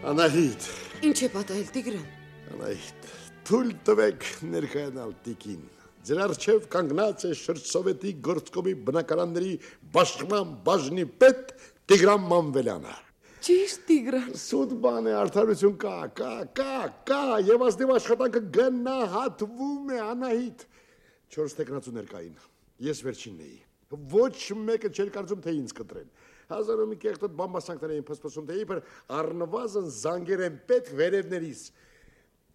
Անահիտ։ Ինչ է պատահել, Տիգրան։ Անահիտ, թույլ տվեք ներկայանալ տիկին։ Ձեր առջև կանգնած է Շրջսովետի գործկոմի բնակարանների բաշխման բաժնի պետ Տիգրան Մանվելյանը։ Ճիշտ, Տիգրան։ Սուտ բան է, արդարություն կա, եւ ազնիվ աշխատանքը գնահատվում է, Անահիտ։ 4 տեխնացու ներկային, ես վերջինն էի։ Ոչ մեկը չէր կարծում, թե ինձ կտրեն։ Հազարը մի կեղտոտ բամբասանքներ էին փսփսում, թե իբր առնվազն զանգեր են պետք վերևներիս։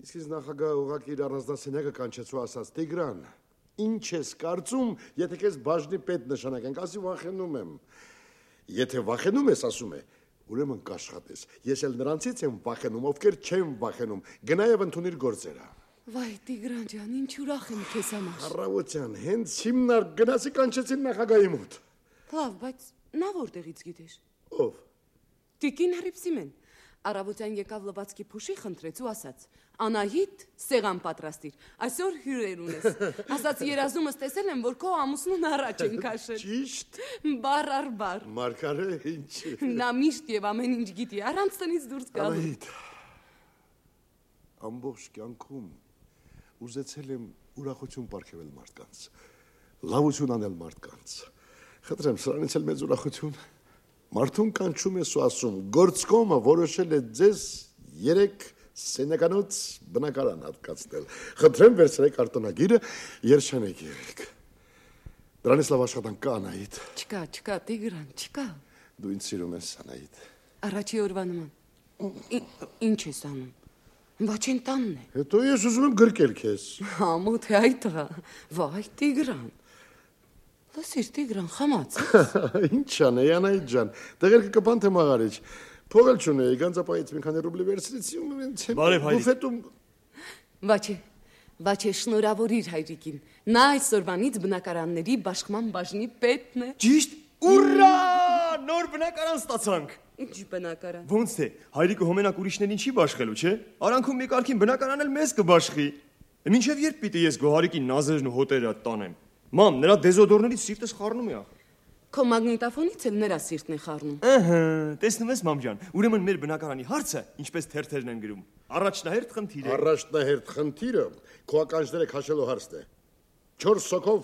Իսկ ինձ նախագահ ուղղակի իր առանձնասենյակը կանչեցու ասաց. Տիգրան, ինչ ես կարծում, եթե քեզ բաժնի պետ նշանակենք, ասի վախենում եմ։ Եթե վախենում ես, ասում է, ուրեմն կաշխատես։ Ես էլ նրանցից եմ վախենում, ովքեր չեն վախենում։ Գնա եւ ընդունիր գործերը։ Վայ, Տիգրան ջան, ինչ ուրախ եմ քեզ համար։ Առավոտյան հենց հիմնար գնացի կանչեցին նախագահի մոտ։ Լավ, բայց նա որտեղից գիտեր։ Ով։ Տիկին Հռիփսիմեն։ Առավոտյան եկավ լվացքի փուշի խնդրեց ու ասաց. Անահիտ, սեղան պատրաստիր, այսօր հյուրեր ունես։ Ասաց երազումս տեսել եմ, որ քո ամուսնուն առաջ են քաշել։ Ճիշտ։ Բառ առ բառ։ Մարգարե, ինչ։ Նա միշտ եւ ամեն ինչ գիտի, առանց տնից դուրս գալու։ Անահիտ, ամբողջ կյանքում ուզեցել եմ ուրախություն պարգևել մարդկանց, լավություն անել մարդկանց։ Խնդրեմ, սրանից էլ մեծ ուրախություն։ Մարդուն կանչում ես ու ասում, գործկոմը որոշել է ձեզ 3 սենյականոց բնակարան հատկացնել։ Խնդրեմ, վերցրեք արտոնագիրը, երջանեք եղեք։ Դրանից լավ աշխատանք կա, Անահիտ։ Չկա, Տիգրան, չկա։ Դու ինձ սիրում ես, Անահիտ։ Առաջի օրվա նման։ Ինչ ես անում։ Վաչեն տանն է։ Հետո ես ուզում եմ գրկել քեզ։ Համոթ է այդ տղա։ Վայ, Տիգրան։ Լսիր, Տիգրան, խմաց։ Ինչ անեի, Անահիտ ջան, տղերքը կպան թե մաղարիչ։ Փող էլ չունեի, գանձապայից մի քանի ռուբլի վերցրեցի ու ինձ բուֆետում։ Վաչե, շնորհավորիր հայրիկին։ Նա այսօրվանից բնակարանների բաշխման բաժնի պետն է։ Ճիշտ, ուրա! Նոր բնակարան ստացանք։ Ինչ բնակարան։ Ոնց թե, հայրիկը հոմենակ ուրիշներին չի բաշխելու, չէ՞։ Արանքում մի կարգին բնակարան էլ մեզ կբաշխի։ Մինչև երբ պիտի ես գոհարիկի նազերն ու հոտերը տանեմ։ Մամ, նրա դեզոդորներից սիրտս խառնում է ախր։ Քո մագնիտոֆոնից էլ նրա սիրտն է խառնում։ Ըհը, տեսնում ես, մամ ջան, ուրեմն մեր բնակարանի հարցը ինչպես թերթերն են գրում։ Առաջնահերթ խնդիրը։ Առաջնահերթ խնդիրը քո ականջները քաշելու հարցն է։ 4 սոկով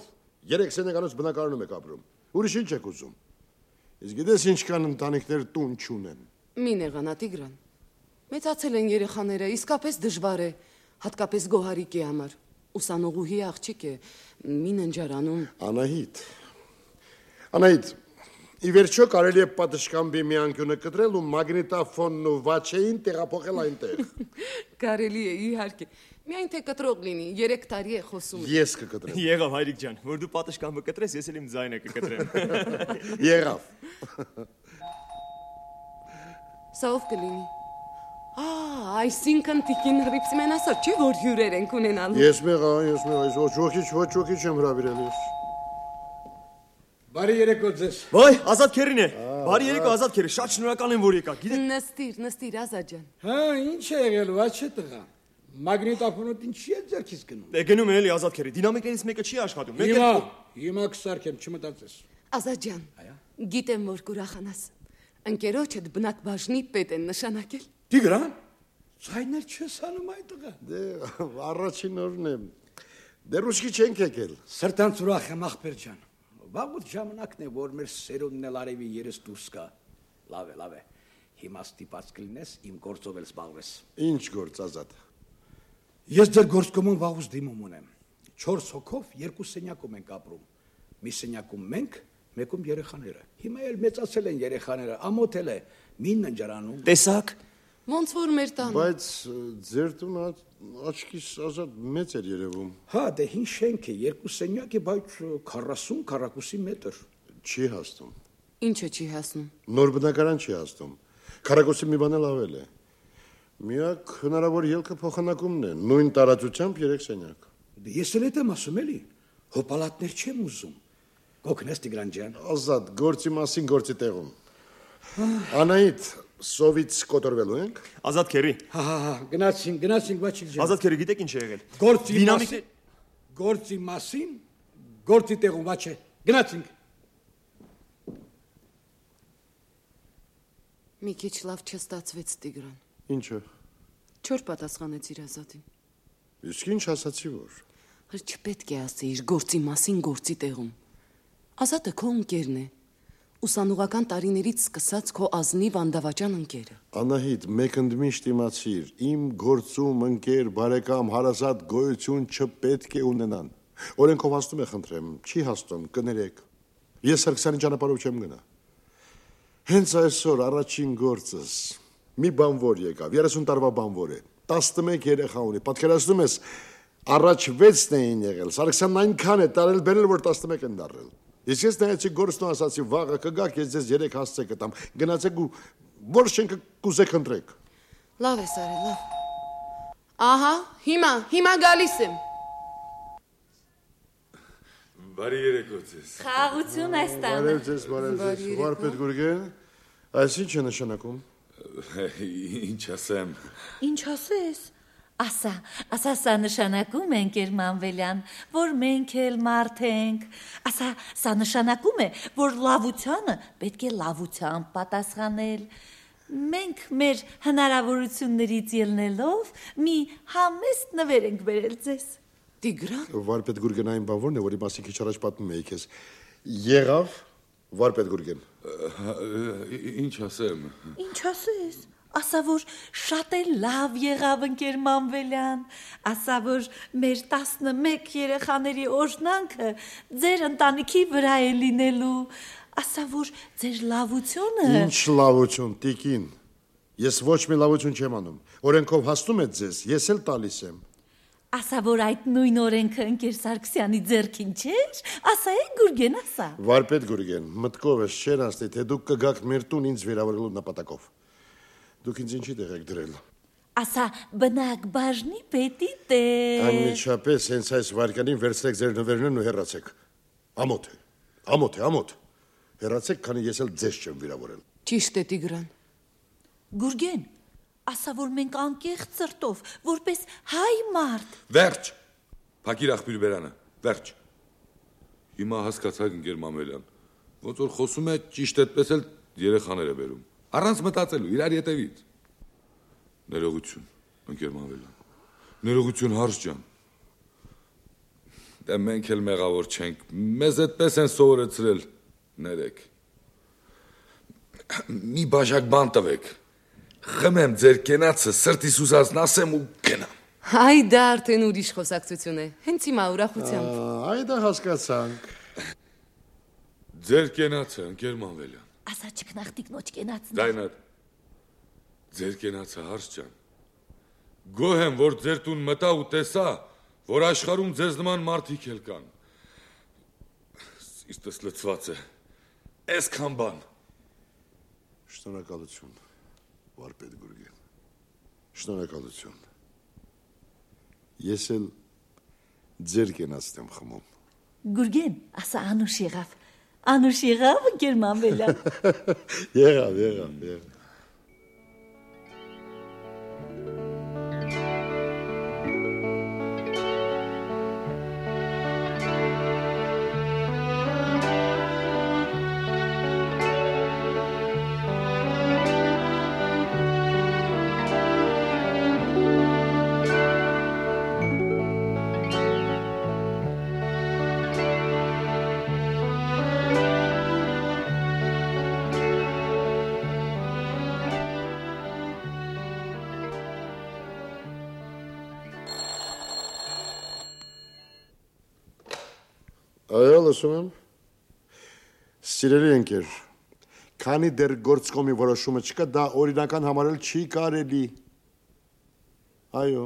3 սենյականոց բնակարանում եք ապրում։ Ուրիշ ինչ եք ուզում։ Իսկ գիտես ինչքան ընտանիքներ տուն չունեն։ Մի նեղանա, Տիգրան։ Մեծացել են երեխաները, իսկապես դժվար է, հատկապես գոհարիկի համար։ Ուսանողուհի աղջիկ է, մի ննջարանում։ Անահիտ, ի վերջո կարելի է պատշգամբի մի անկյունը կտրել ու մագնիտոֆոնն ու վաչեին տեղափոխել այնտեղ։ Կարելի է, իհարկե։ Միայն թե կտրող լինի, 3 տարի է խոսում։ Ես կկտրեմ։ Եղավ, հայրիկ ջան, որ դու պատշգամբը կտրես, ես էլ իմ ձայնը կկտրեմ։ Եղավ։ Սա ով կլինի։ Այսինքն Տիկին Հռիփսիմեն ասաց, չէ՞ որ հյուրեր ենք ունենալու։ Ես մեղա, ոչ ոքի չեմ հրավիրել ես։ Բարի երեկո ձեզ։ Վայ, Ազատ քերին է։ Բարի երեկո, Ազատ քերի, շատ շնորհակալ եմ, որ եկաք։ Գիտեք։ Նստիր, Ազատ ջան։ Հա, ինչ է եղել, վաչե տղա։ Մագնիտոֆոնոտ ինչի է ձեռքից գնում։ Դե գնում են էլի, Ազատ քերի, դինամիկներից մեկը չի աշխատում։ Հիմա կսարքեմ, չմտածես։ Ազատ ջան, գիտեմ, որ կուրախանաս։ Ընկերոջդ բնակ բաժնի պետ են նշանակել։ Տիգրան, ցայներ չես անում այդ տղա։ Դե առաջին օրն է։ Դեռ ուշքի չենք եկել։ Սրտանց ուրախ եմ, ախպեր ջան։ Վաղուց ժամանակն է, որ մեր սերունդն էլ արևի երես դուրս գա։ Լավ է։ Հիմա ստիպած կլինես իմ գործով էլ զբաղվես։ Ինչ գործ, Ազատ։ Ես ձեր գործկոմում վաղուց դիմում ունեմ։ 4 հոգով 2 սենյակում ենք ապրում։ Մի սենյակում մենք, մեկում երեխաները։ Հիմա էլ մեծացել են երեխաները, ամոթել է, մի ննջարանում։ Տեսակ։ Ոնց որ մեր տանը։ Բայց ձեր տունը աչքիս Ազատ մեծ էր երևում։ Հա, դե հին շենք է, 2 սենյակ է, բայց 40 քառակուսի մետր։ Չի հասնում։ Ինչը չի հասնում։ Նոր բնակարան չի հասնում։ Քառակուսի մի բան էլ ավել է։ Միակ հնարավոր ելքը փոխանակումն է, նույն տարածությամբ 3 սենյակ։ Դե ես էլ եմ ասում էլի, հոպալատներ չեմ ուզում։ Գոքնես Տիգրան ջան։ Ազատ, գործի մասին գործի տեղում։ Անահիտ, սովից կոտորվելու ենք։ Ազատ քերի։ Հա, գնացինք, բաչիկ ջան։ Ազատ քերի, գիտեք ինչ է եղել։ Գործի մասին, գործի տեղում, բաչե։ Գնացինք։ Մի քիչ լավ չստացվեց, Տիգրան։ Ինչը։ Չոր պատասխանեցիր Ազատին։ Իսկ ինչ ասացի որ։ Չպետք է ասեիր գործի մասին գործի տեղում։ Ազատը քո ընկերն է։ Ուսանողական տարիներից սկսած քո ազնիվ անդավաճան ընկերը։ Անահիտ, մեկ ընդմիշտ իմացիր, իմ գործում ընկեր, բարեկամ, հարազատ գոյություն չպետք է ունենան։ Օրենքով հաստում է, խնդրեմ, չի հաստում, կներեք։ Ես Սարգսյանի ճանապարհով չեմ գնա։ Հենց այսօր առաջին գործս մի բանվոր եկավ, 30 տարվա բանվոր է, 11 երեխա ունի, պատկերացնում ես, առաջ 6-ն էին եղել, Սարգսյանն այնքան է տարել բերել, որ 11 են դառել։ Ես նայեցի գործն ու ասացի, վաղը կգաք, ես ձեզ 3 հասցե կտամ, գնացեք ու որ շենքը կուզեք ընտրեք։ Լավ ես արել, լավ։ Ահա, հիմա գալիս եմ։ Բարի երեկո ձեզ։ Խաղաղություն այս տանը։ Բարև ձեզ, Վարպետ Գուրգեն, այս ինչ է նշանակում։ Ինչ ասեմ։ Ինչ ասես։ Ասա սա նշանակում է ընկեր Մանվելյան, որ մենք էլ մարդ ենք։ Սա նշանակում է, որ լավությանը պետք է լավությամբ պատասխանել։ Մենք մեր հնարավորություններից ելնելով մի համեստ նվեր ենք բերել ձեզ։ Տիգրան։ Վարպետ Գուրգեն այն բանվորն է, որի մասին քիչ առաջ պատմում էի քեզ։ Եղավ Վարպետ Գուրգեն։ Ինչ ասեմ։ Ինչ ասես։ Ասա որ շատ է լավ եղավ ընկեր Մանվելյան, ասա որ մեր 11 երեխաների օրհնանքը ձեր ընտանիքի վրա է լինելու, ասա որ ձեր լավությունը։ Ինչ լավություն, տիկին։ Ես ոչ մի լավություն չեմ անում։ Օրենքով հաստում եք ձեզ, ես էլ տալիս եմ։ Ասա որ այդ նույն օրենքը ընկեր Սարգսյանի ձեռքին չէր, ասա է Գուրգեն, ասա։ Վարպետ Գուրգեն, մտքով ես չեր անցնի, թե դուք կգաք մեր տուն ինձ վերավորելու նպատակով։ Դուք ինձ ինչի տեղ եք դրել։ Ասա բնակ բաժնի պետի տեղ։ Անմիջապես հենց այս վարկանին վերցրեք ձեր նվերներն ու հեռացեք։ Ամոթ։ Հեռացեք, քանի ես էլ ձեզ չեմ վիրավորել։ Ճիշտ է Տիգրան։ Գուրգեն, ասա որ մենք անկեղծ ծրտով, որպես հայ մարդ։ Վերջ։ Փակիր աղբյուր բերանը։ Վերջ։ Հիմա հասկացաք ընկեր Մանվելյան, ոնց որ խոսում է ճիշտ այդպես էլ երեխաներ է բերում։ Առանց մտածելու, իրար ետևից։ Ներողություն, ընկեր Մանվելյան։ Ներողություն հարց ջան։ Դե մենք էլ մեղավոր չենք, մեզ այդպես են սովորեցրել, ներեք։ Մի բաժակ բան տվեք։ Խմեմ ձեր կենացը, սրտիս ուզածն ասեմ ու գնամ։ Այ դա արդեն ուրիշ խոսակցություն է, հենց հիմա ուրախությամբ։ Այդա հասկացանք։ Ձեր կենացը, ընկեր Մանվելյան։ Ասա չքնախտիկնոջ կենացն։ Դայնատ, ձեր կենացը հարց ջան։ Գոհ եմ, որ ձեր տուն մտա ու տեսա, որ աշխարհում ձեզ նման մարդիկ էլ կան։ Սիրտս լցված է, այսքան բան։ Շնորհակալություն, Վարպետ Գուրգեն, շնորհակալություն։ Ես էլ ձեր կենացն եմ խմում։ Գուրգեն, ասա անուշ եղավ ընկեր Մանվելյան։ Եղավ։ Այո, լսում եմ։ Սիրելի ընկեր, քանի դեռ գործկոմի որոշումը չկա, դա օրինական համարել չի կարելի։ Այո։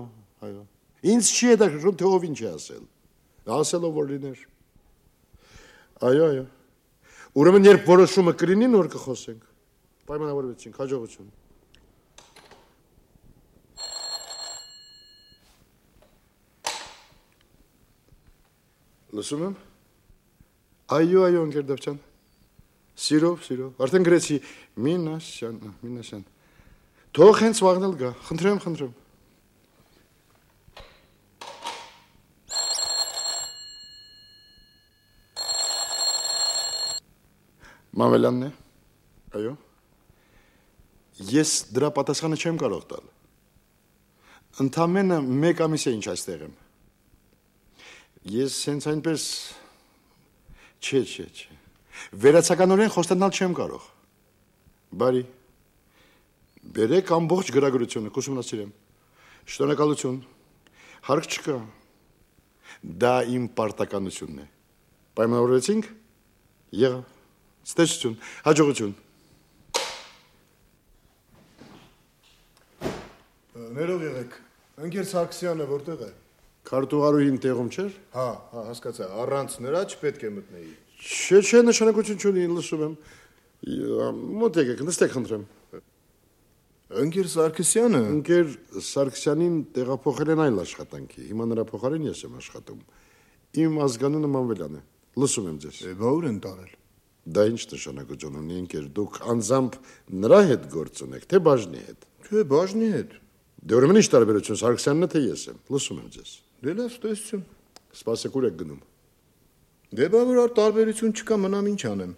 Ինձ չի հետաքրքրում, թե ով ինչ է ասել։ Ասելով որ լիներ։ Այո։ Ուրեմն երբ որոշումը կլինի, նոր կխոսենք։ Պայմանավորվեցինք, հաջողություն։ Լսում եմ։ Այո, ընկեր Դավթյան։ Սիրով, արդեն գրեցի Մինասյան։ Թող հենց վաղն էլ գա, խնդրեմ։ Մանվելյանն է։ Այո։ Ես դրա պատասխանը չեմ կարող տալ։ Ընդամենը 1 ամիս է ինչ այստեղ եմ։ Ես հենց այնպես Չէ։ Վերացականորեն խոստանալ չեմ կարող։ Բարի։ Բերեք ամբողջ գրագրությունը, կուսումնասիրեմ։ Շնորհակալություն։ Հարկ չկա։ Դա իմ պարտականությունն է։ Պայմանավորվեցինք։ Եղավ։ Ստեսություն, հաջողություն։ Ներող եղեք։ Ընկեր Սարգսյանը որտեղ է։ Քարտուղարուհին տեղում չէր։ Հա, հասկացա, առանց նրա չպետք է մտնեի։ Չէ, նշանակություն չունի, լսում եմ։ Մոտ եկեք, նստեք խնդրեմ։ Ընկեր Սարգսյանը։ Ընկեր Սարգսյանին տեղափոխել են այլ աշխատանքի։ Հիմա նրա փոխարեն ես եմ աշխատում։ Իմ ազգանունը Մանվելյան է։ Լսում եմ ձեզ։ Բա ուր են տարել։ Դա ինչ նշանակություն ունի, ընկեր, դուք անձամբ նրա հետ գործ ունեք, թե բաժնի հետ։ Չէ, բաժնի հետ։ Դե ուրեմն ինչ տարբերություն, Սարգսյանն է թե ես եմ։ Լսում եմ ձեզ։ Դե լավ, ստեսություն։ Սպասեք, ուր եք գնում։ Դե բա որ տարբերություն չկա, մնամ ինչ անեմ։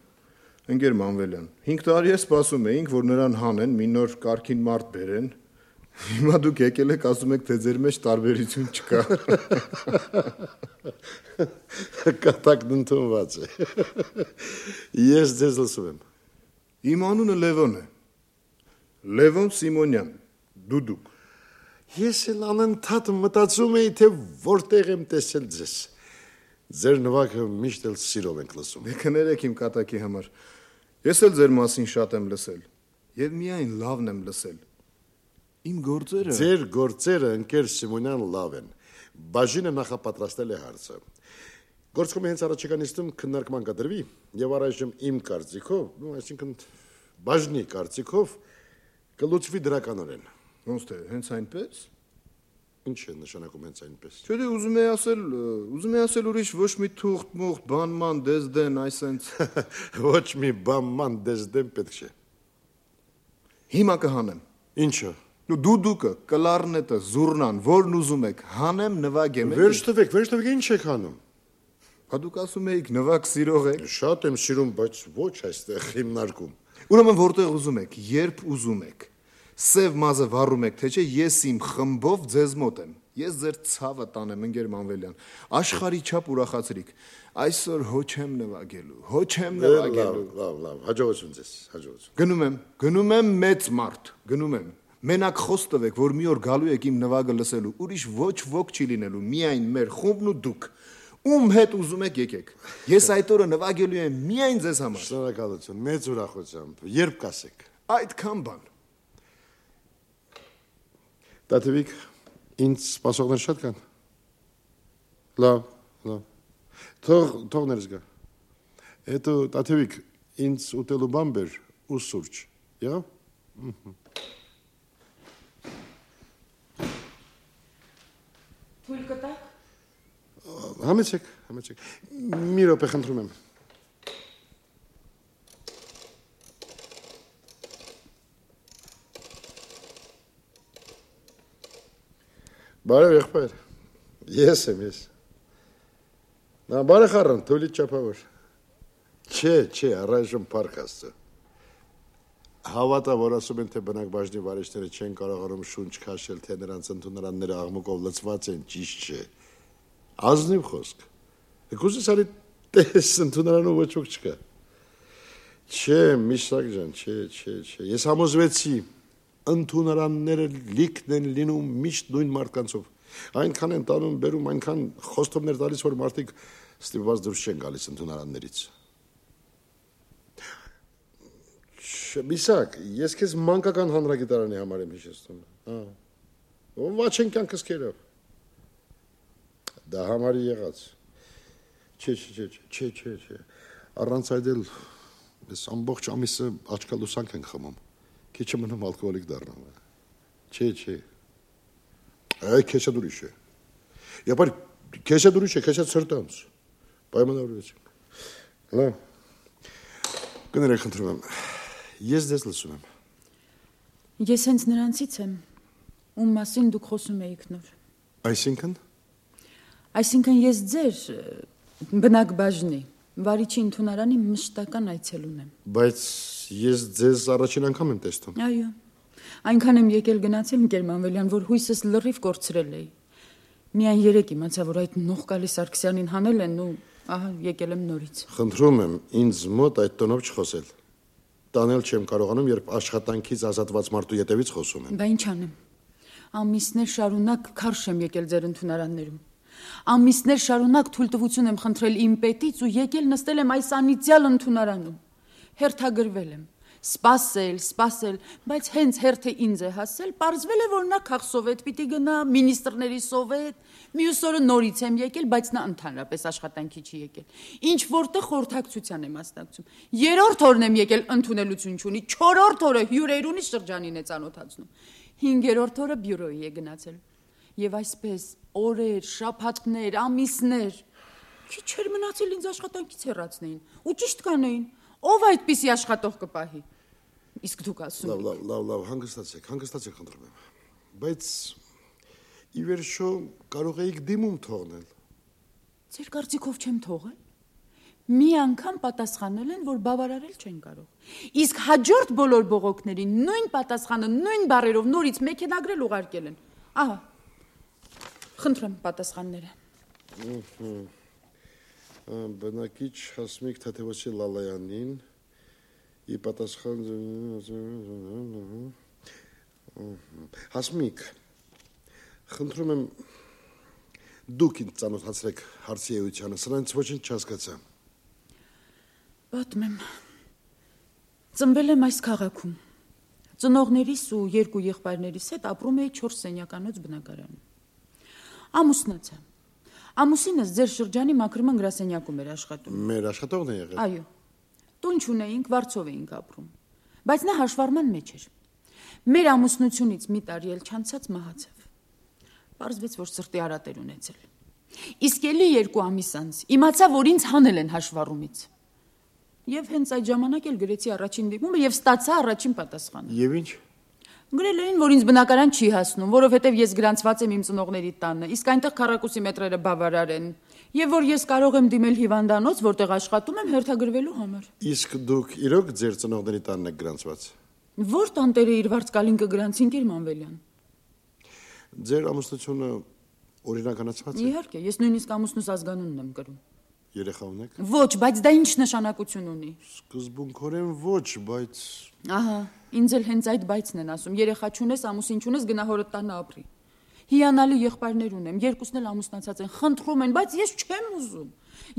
Ընկեր Մանվելյան, 5 տարի է սպասում էինք, որ նրան հանեն, մի նոր կարգին մարդ բերեն։ Հիմա դուք եկել եք ասում եք, թե ձեր մեջ տարբերություն չկա։ Կատակն ընդունված է։ Ես ձեզ լսում եմ։ Իմ անունը Լևոն է։ Լևոն Սիմոնյան, դուդուկ։ Ես էլ անընդհատ մտածում էի, թե որտեղ եմ տեսել ձեզ։ Ձեր նվագը միշտ էլ սիրով ենք լսում։ Դե կներեք իմ կատակի համար։ Ես էլ ձեր մասին շատ եմ լսել։ Եվ միայն լավն եմ լսել։ Իմ գործերը։ Ձեր գործերը, ընկեր Սիմոնյան, լավ են։ Բաժինը նախապատրաստել է հարցը։ Գործկոմի հենց առաջիկա նիստում քննարկման կդրվի, եւ առայժմ իմ կարծիքով, այսինքն բաժնի կարծիքով, կլուծվի դրականորեն։ Ոնց թե, հենց այնպես։ Ինչ է նշանակում հենց այնպես։ Չէ, դե ուզում եմ ասել ուրիշ ոչ մի թուղթ-մուղթ, բանման, դեզդեն, այսենց։ Ոչ մի բանման դեզդեն պետք չէ։ Հիմա կհանեմ։ Ինչը։ Դուդուկը, կլարնետը, զուռնան, որն ուզում եք, հանեմ, նվագեմ։ Վերջ տվեք, ինչ եք հանում։ Հա դուք ասում եք նվագ սիրող եք։ Շատ եմ սիրում, բայց ոչ այստեղ հիմնարկում։ Ուրեմն որտեղ ուզում եք, երբ ուզում եք։ Սև մազը վառում եք, թե չէ, ես իմ խմբով ձեզ մոտ եմ։ Ես ձեր ցավը տանեմ, ընկեր Մանվելյան։ Աշխարհի չափ ուրախացրիք։ Այսօր հո չեմ նվագելու։ Լավ, հաջողություն ձեզ, հաջողություն։ Գնում եմ մեծ մարդ, գնում եմ։ Մենակ խոսք տվեք, որ մի օր գալու եք իմ նվագը լսելու, ուրիշ ոչ ոք չի լինելու, միայն մեր խումբն ու դուք։ Ում հետ ուզում եք եկեք։ Ես այդ օրը նվագելու եմ միայն ձեզ համար։ Շնորհակալություն, մեծ ուրախությամբ։ Երբ կասեք։ Այդքան բան։ Տատևիկ, ինձ սպասողներ շատ կան։ Լավ։ Թող ներս գա։ Հետո Տատևիկ, ինձ ուտելու բան բեր ու սուրճ։ Եղավ։ Թույլ կտակ։ Համեցեք։ Մի րոպե խնդրում եմ։ Բարև եղբայր։ Ես եմ։ Նա բարև խառն, թույլի չափավոր։ Չէ, առայժմ փառք Աստծո։ Հավատա, որ ասում են, թե բնակ բաժնի վարիշները չեն կարողանում շունչ քաշել, թե նրանց ընդունարանները աղմուկով լցված են, ճիշտ չէ։ Ազնիվ խոսք։ Գուցե սարի տես ընդունարանում ոչ ոք չկա։ Չէ, Միշակ ջան, չէ։ Ես համոզվեցի, ընդունարանները լիքն են լինում միշտ նույն մարդկանցով։ Այնքան են տանում, բերում, այնքան խոստումներ տալիս, որ մարդիկ ստիպված դուրս չեն գալիս ընդունարաններից։ Միսակ, ես քեզ մանկական հանրագիտարանի համար եմ հիշեցնում։ Ոչ են կյանքս քերով։ Դա համարի եղած։ Չէ։ Առանց այդ էլ ես ամբողջ ամիսը աչքալուսանք ենք խմում։ Քիչը մնում ալկոհոլիկ դառնում։ Չէ։ Այ քեշա դուրիշ է։ Եփար քեշա դուրիշ է, քեշա ծրտանց։ Պայմանավորվեցինք։ Լավ։ Կներեք խնդրում եմ։ Ես ձեզ լսում եմ։ Ես հենց նրանցից եմ, ում մասին դուք խոսում էիք նոր։ Այսինքն ես ձեր բնակ բաժնի վարիչի ընդունարանի մշտական այցելուն եմ։ Բայց ես ձեզ առաջին անգամ եմ տեսնում։ Այո, Այնքան եմ եկել գնացել ընկեր Մանվելյան, որ հույսս լրիվ կորցրել էի։ Միայն երեք իմացա, որ այդ նողկալի Սարգսյանին հանել են ու ահա եկել եմ նորից։ Խնդրում եմ ինձ մոտ այդ տոնով չխոսել։ Տանել չեմ կարողանում, երբ աշխատանքից ազատված մարդու ետևից խոսում եմ։ Բա ինչ անեմ։ Ամիսներ շարունակ քարշ եմ եկել ձեր ընդունարաններում։ Ամիսներ շարունակ թույլտվություն եմ խնդրել իմ պետից ու եկել նստել եմ այս անիծյալ ընդունարանում։ Հերթագրվել եմ։ Սպասել, բայց հենց հերթը ինձ է հասել, պարզվել է, որ նա քաղսովետ պիտի գնա, մինիստրների սովետ, մյուս օրը նորից եմ եկել, բայց նա ընդհանրապես աշխատանքի չի եկել։ Ինչ որտեղ խորհրդակցության եմ մասնակցում։ Երրորդ օրն եմ եկել, ընդունելություն չունի, չորրորդ օրը հյուրերունի շրջանին է ծանոթացնում։ Հինգերորդ օրը բյուրոյի է գնացել։ Եվ այսպես օրեր, շաբաթներ, ամիսներ քիչ չէր մնացել ինձ աշխատանքից հեռացնեին ու ճիշտ կանեին։ Ով այդպիսի աշխատող կպահի։ Իսկ դուք ասում եք։ Լավ, հանգստացեք, խնդրում եմ։ Բայց ի վերջո կարող եք դիմում թողնել։ Ձեր կարծիքով չեմ թողել։ Մի անգամ պատասխանել են, որ բավարարել չեն կարող։ Իսկ հաջորդ բոլոր բողոքներին նույն պատասխանը, նույն բառերով նորից մեքենագրել ուղարկել են։ Ահա։ Խնդրեմ պատասխանները։ Բնակիչ Հասմիկ Թաթևոսի Լալայանին ի պատասխան Հասմիկ, խնդրում եմ դուք ինձ ծանոթացրեք հարցի էությանը, սրանից ոչինչ չհասկացա։ Պատմեմ։ Ծնվել եմ այս քաղաքում։ Ծնողներիս ու երկու եղբայրներիս հետ ապրում էի 4 սենյականոց բնակարանում։ Ամուսնացա։ Ամուսինս ձեր շրջանի մաքրման գրասենյակում էր աշխատում։ Մեր աշխատողն է եղել։ Այո։ Տուն չունեինք, վարձով էինք ապրում։ Բայց նա հաշվառման մեջ էր։ Մեր ամուսնությունից մի տարի էլ չանցած մահացավ։ Պարզվեց, որ սրտի արատ էր ունեցել։ Իսկ էլի 2 ամիս անց իմացա, որ ինձ հանել են հաշվառումից։ Եվ հենց այդ ժամանակ էլ գրեցի առաջին դիմումը եւ ստացա առաջին պատասխանը։ Եվ ինչ։ Գրել էին, որ ինձ բնակարան չի հասնում, որովհետև ես գրանցված եմ իմ ծնողների տանը, իսկ այնտեղ քառակուսի մետրերը բավարար են, եւ որ ես կարող եմ դիմել հիվանդանոց, որտեղ աշխատում եմ հերթագրվելու համար։ Իսկ դուք իրոք ձեր ծնողների տանն եք գրանցված։ Որ տանտերը իր վարձկալին կգրանցին Կիր Մանվելյան։ Ձեր ամուսնությունը օրինականացված է։ Իհարկե, ես նույնիսկ ամուսնուս ազգանունն եմ կրում։ Երեխա ունեք։ Ոչ, բայց դա ինչ նշանակություն ունի։ Սկզբունքորեն ոչ, բայց Ահա, ինձ էլ հենց այդ բայցն են ասում։ Երեխա չունես, ամուսին չունես, գնա հորդ տանը ապրի։ Հիանալի եղբայրներ ունեմ, երկուսն էլ ամուսնացած են, խնդրում են, բայց ես չեմ ուզում։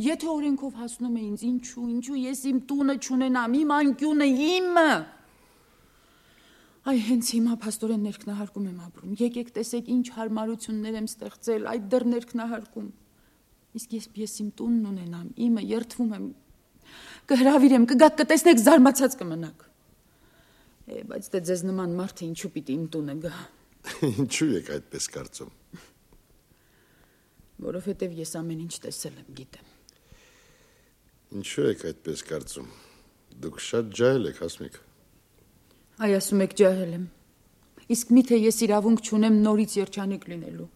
Եթե օրենքով հասնում է ինձ, ինչու ես իմ տունը չունենամ, իմ անկյունը իմը։ Այ հենց հիմա փաստորեն ներքնահարկում եմ ապրում։ Եկեք տեսեք ինչ հարմարություններ եմ ստեղծել, այդ դեռ ներքնահարկում։ Իսկ ես իմ տունն ունենամ, իմը երթվում եմ, կհրավիրեմ, կգաք կտեսնեք, զարմացած կմնաք։ Բայց դե ձեզ նման մարդը ինչու պիտի իմ տունը գա։ Ինչու եք այդպես կարծում։ Որովհետև ես ամեն ինչ տեսել եմ, գիտեմ։ Ինչու եք այդպես կարծում։ Դուք շատ ջահել եք, Հասմիկ։ Այ ասում եք ջահել եմ։ Իսկ միթե ես իրավունք չունեմ նորից երջանիկ լինելու։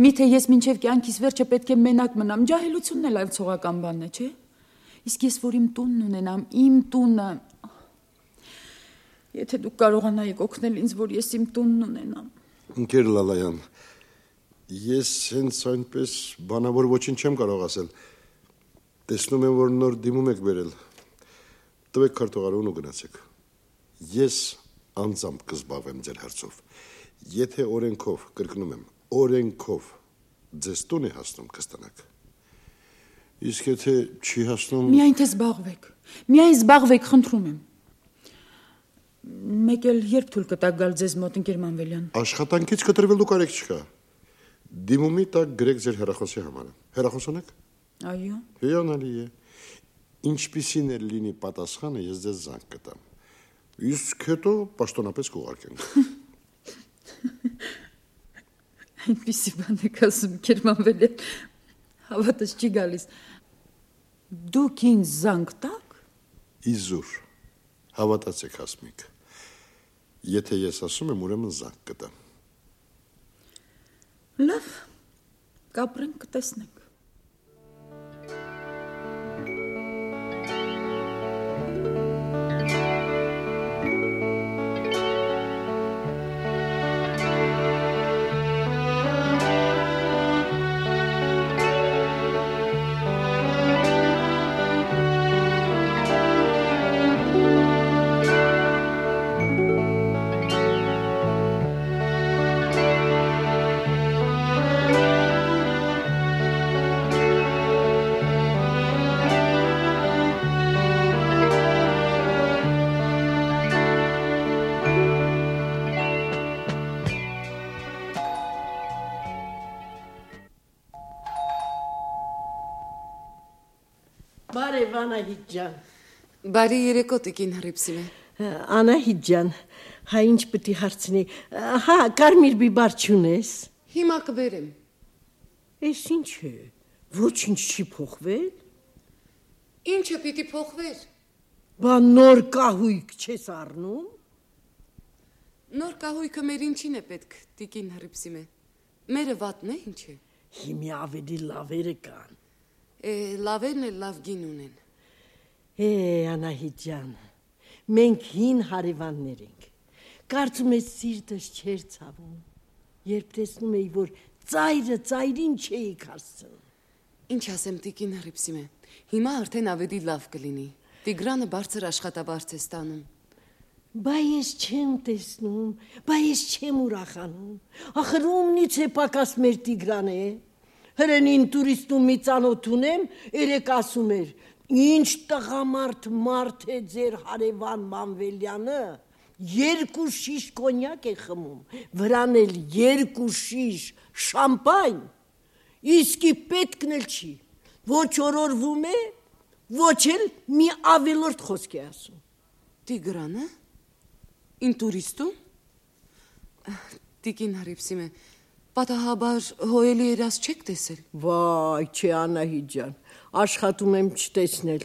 Միթե ես մինչև կյանքիս վերջը պետք է մենակ մնամ, ջահելությունն էլ այլ ցողական բան է, չէ՞։ Իսկ ես որ իմ տունն ունենամ, իմ տունը։ Եթե դուք կարողանայիք օգնել ինձ, որ ես իմ տունն ունենամ։ Ընկեր Լալայան, ես հենց այնպես բանավոր ոչինչ չեմ կարող ասել։ Տեսնում եմ, որ նոր դիմում եք բերել։ Տվեք քարտուղարուն ու գնացեք։ Ես անձամբ կզբաղվեմ ձեր հարցով։ Եթե օրենքով, կրկնում եմ, օրենքով ձեզ տուն է հասնում, կստանաք։ Իսկ եթե չի հասնում… Միայն թե զբաղվեք, միայն զբաղվեք, խնդրում եմ։ Մեկ էլ երբ թույլ կտակ գալ ձեզ մոտ, ընկեր Մանվելյան։ Աշխատանքից կտրվելու կարիք չկա։ Դիմումի տակ գրեք ձեր հեռախոսի համարը։ Հեռախոս ունեք։ Այո։ Հիանալի է։ Ինչպիսին էլ լինի պատասխանը, ես ձեզ զանգ կտամ։ Իսկ հետո պաշտոնապես կուղարկենք։ Այնպիսի բան եք ասում, ընկեր Մանվելյան, հավատս չի գալիս։ Դուք ինձ զանգ տաք։ Իզուր, հավատացեք Հասմիկ։ Եթե ես ասում եմ, ուրեմն զանգ կտամ։ Լավ, կապրենք, կտեսնենք։ Բարև Անահիտ ջան։ Բարի երեկո տիկին Հռիփսիմե։ Անահիտ ջան, հա ինչ պետք է հարցնի։ Հա, կարմիր բիբար չունես։ Հիմա կբերեմ։ Էս ինչ է։ Ոչինչ չի փոխվել։ Ինչը պիտի փոխվեր։ Բա նոր կահույք չես առնում։ Նոր կահույքը մեր ինչին է պետք, տիկին Հռիփսիմե։ Մերը վատն է, ինչ է։ Հիմի ավելի լավերը կան։ Լավերն էլ լավ գին ունեն։ Անահիտ ջան, մենք հին հարևաններ ենք։ Կարծում ես սիրտս չէր ցավում, երբ տեսնում էի, որ ծայրը ծայրին չէի հասցնում։ Ինչ ասեմ տիկին Հռիփսիմե, հիմա արդեն ավելի լավ կլինի։ Տիգրանը բարձր աշխատաբարձ է ստանում։ Բա ես չեմ տեսնում, բա ես չեմ ուրախանում։ Ախր ումնից է պակաս մեր Տիգրանը է։ Հրենին տուրիստում մի ծանոթ ունեմ, երեք ասում էր, ինչ տղամարդ մարդ է ձեր հարևան Մանվելյանը, 2 շիշ կոնյակ է խմում, վրան էլ 2 շիշ շամպայն, իսկի պետքն էլ չի, ոչ օրորվում է, ոչ էլ մի ավելորդ խոսք է ասում։ Տիգրանը? Ին տուրիստում? Տիկին Հռիփսիմե, պատահաբար հոյելի երաս չեք տեսել։ Վայ, չէ Անահիտ ջան, աշխատում եմ չտեսնել։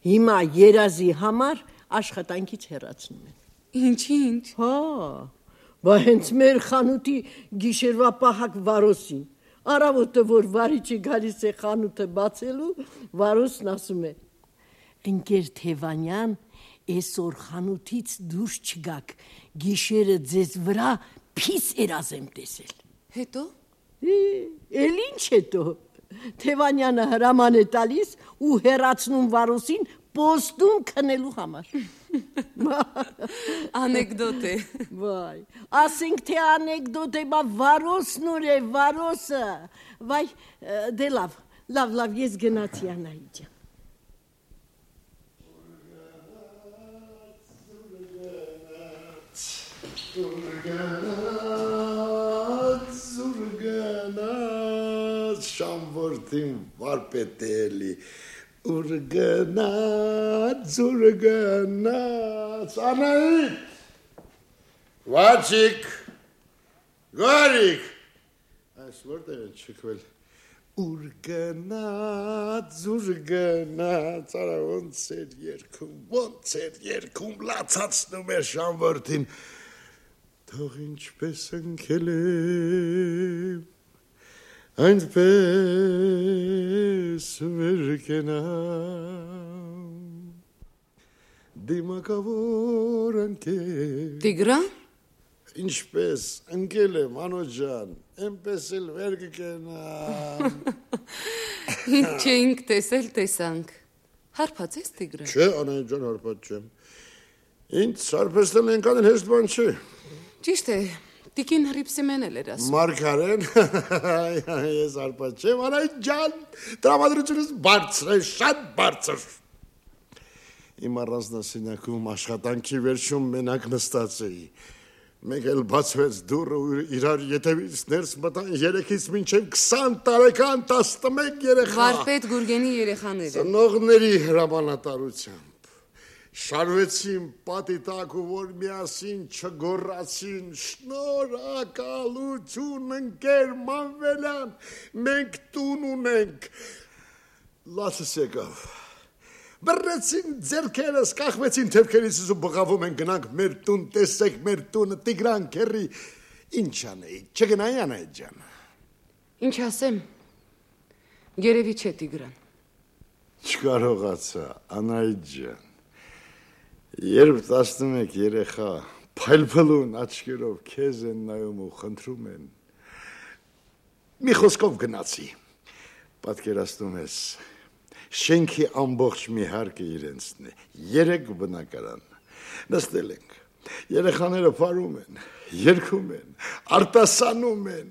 Հիմա երազի համար աշխատանքից հեռացնում եմ։ Ինչ։ Հա, բա հենց մեր խանութի գիշերվա պահակ Վարոսին։ Առավոտը որ վարիչը գալիս է խանութը բացելու, Վարոսն ասում է. Ընկեր Թևանյան, այսօր խանութից դուրս չգաք, գիշերը ձեզ վրա փիս երազ եմ տեսել։ Հետո? Էլ ինչ հետո։ Թևանյանը հրաման է տալիս ու հեռացնում Վարոսին պոստում քնելու համար։ Անեկդոտ է։ Վայ, ասենք թե անեկդոտ է, բա Վարոսն ուր է, Վարոսը։ Վայ, դե լավ, ես գնացի Անահիտ ջան։ Զուրգանաց շամվորդին վարպետելի Զուրգանաց Անահիտ Վաչիկ Գարիկ Այս որտեղ են չքվել Զուրգանաց Արա ոնց էր երգում լացացնում էր շամվորդին Թող ինչպես ընկել եմ, այնպես վեր կենամ, դիմակավոր ընկել։ Տիգրան? Ինչպես ընկել եմ, անոջ ջան, այնպես էլ վեր կենամ։ Ինչ չէինք տեսել, տեսանք։ Հարբած ես Տիգրան։ Չէ, Անահիտ ջան, հարբած չեմ։ Ինձ հարբեցնել ենքան էլ հեշտ բան չէ։ Ճիշտ է, տիկին Հռիփսիմեն էլ էր ասում։ Մարգարեն, ես հարբած չեմ, Անահիտ ջան, տրամադրությունս բարձր է, շատ բարձր։ Իմ առանձնասենյակում աշխատանքի վերջում մենակ նստած էի։ Մեկ էլ բացվեց դուռը ու իրար ետևից ներս մտան 3-ից մինչև 20 տարեկան 11 երեխա։ Վարպետ Գուրգենի երեխաները։ Ծնողների հրամանատարությամբ շարվեցին պատի տակ ու որ միասին չգոռացին շնորհակալություն ընկեր Մանվելյան, մենք տուն ունենք։ Լացս եկավ։ Բռնեցին ձեռքերս, կախվեցին թևքերից ու բղավում են գնանք մեր տուն, տեսեք մեր տունը, Տիգրան քեռի, ինչ անեի, չգնայի Անահիտ ջան։ Ինչ ասեմ, երևի չէ Տիգրան։ Չկարողացա, Անահիտ ջան, երբ 11 երեխա փայլփլուն աչքերով քեզ են նայում ու խնդրում են, մի խոսքով գնացի, պատկերացնում ես, շենքի ամբողջ մի հարկը իրենցն է, 3 բնակարան, նստել ենք, երեխաները փարում են, երգում են, արտասանում են,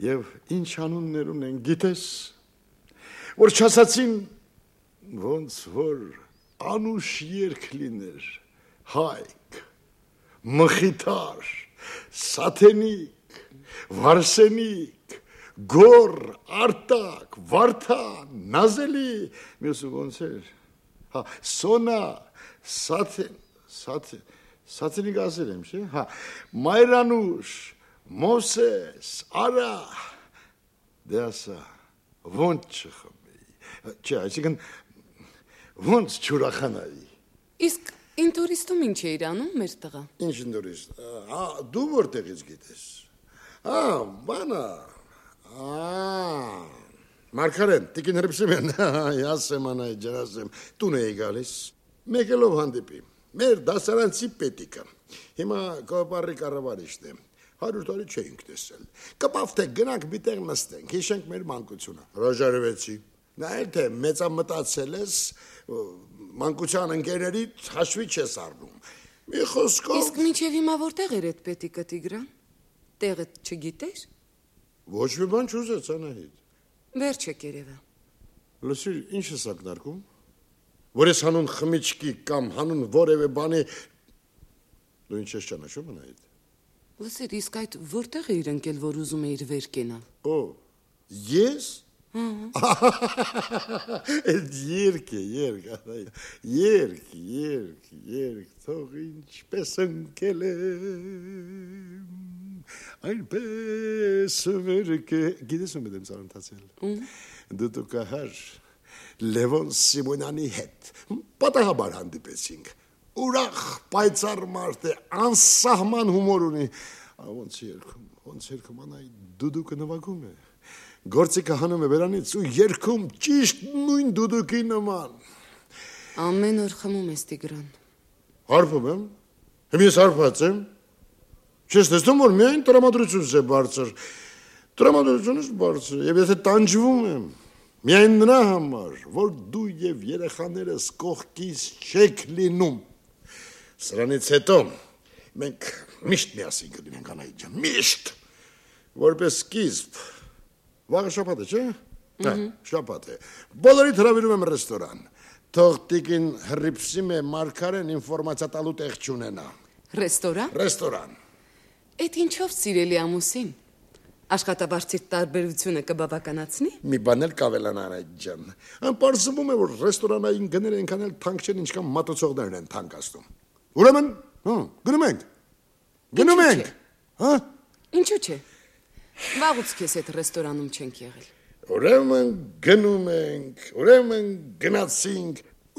և ինչ անուններ ունեն, գիտես, որ չասացին, ոնց որ անուշ երգ լիներ, Հայկ, Մխիթար, Սաթենիկ, Վարսենիկ, Գոր, Արտակ, Վարդան, Նազելի, մյուսը ոնց էր, Հա, Սոնա, Սաթինի գասել եմ, չէ՞։ Հա, Մայրանուշ, Մովսես, Արա։ Դե ասա, ոնց չխմեի։ Չէ, այսինքն ոնց չուրախանայի։ Իսկ ինտուրիստում ինչ էիր անում մեր տղա։ Ինչ ինտուրիստ։ Դու որտեղից գիտես։ Բանա։ Մարգարեն, տիկին Հրիփսիմեն, ասեմ անայ ջրասեմ, տուն էի գալիս։ Մեկելով հանդիպի։ Մեր դասարանցի պետիկը։ Հիմա կոպարի կառավարիչն է։ 100 տարի չէինք տեսել։ Կպավ թե գնանք մի տեղ նստենք, հիշենք մեր մանկությունը։ Հրաժարվեցի։ Նայել թե մեծամտածել ես, մանկության ընկերերիդ հաշվի չես առնում։ Մի խոսքով։ Իսկ մինչև հիմա որտեղ էր այդ պետիկը Տիգրան։ Տեղը չգիտես։ Ոչ մի բան չուզեց Անահիտ։ Վերջ է կերևը։ Լսիր, ինչ ես ակնարկում։ Որ ես հանուն խմիչքի կամ հանուն որևէ բանի դու ինչ ես ճանաչում Անահիտ։ Լսիր, իսկ այդ որտեղ էիր ընկել, որ ուզում էիր վեր կենալ։ Ո՞։ Ես։ Երկ, թող ինչպես ընկել եմ, այնպես վերք է, գիտես ում եմ ծանոթացել, դուտուկահար Լևոն Սիմոնյանի հետ, պատահաբար հանդիպեցինք, ուրախ, պայծառ մարդ է, անսահման հումոր ունի, ոնց երգում, անայ դուդուկը նվագում է, գործիքը հանում է բերանից ու երգում ճիշտ նույն դուդուկի նման։ Ամեն օր խմում ես Տիգրան։ Հարբում եմ, ես հարբած եմ, չես տեսնում, որ միայն տրամադրությունս է բարձր, տրամադրությունս բարձր, և եթե տանջվում եմ, միայն նրա համար, որ դու և երեխաներս կողքիս չեք լինում։ Սրանից հետո մենք միշտ միասին կլինենք Անահիտ ջան, միշտ, որպես սկիզբ, վաղը շաբաթ է, չէ՞։ Շաբաթ է։ Բոլորիդ հրավիրում եմ ռեստորան։ Թող տիկին Հրիփսիմե Մարգարեն ինֆորմացիա տալու տեղ չունենա։ Ռեստորան։ Ռեստորան։ Այդ ինչով սիրելի ամուսին։ Աշխատավարձի տարբերությունը կբավականացնի։ Մի բան էլ կավելանա Անահիտ ջան։ Պարզվում է, որ ռեստորանային գները այնքան էլ թանկ չեն, ինչքան մատուցողներն են թանկացնում։ Ուրեմն, գնում ենք։ Գնում ենք։ Հա։ Ինչու՞ չէ։ Վաղուց քեզ այդ ռեստորանում չենք եղել։ Ուրեմն գնում ենք, ուրեմն գնացինք,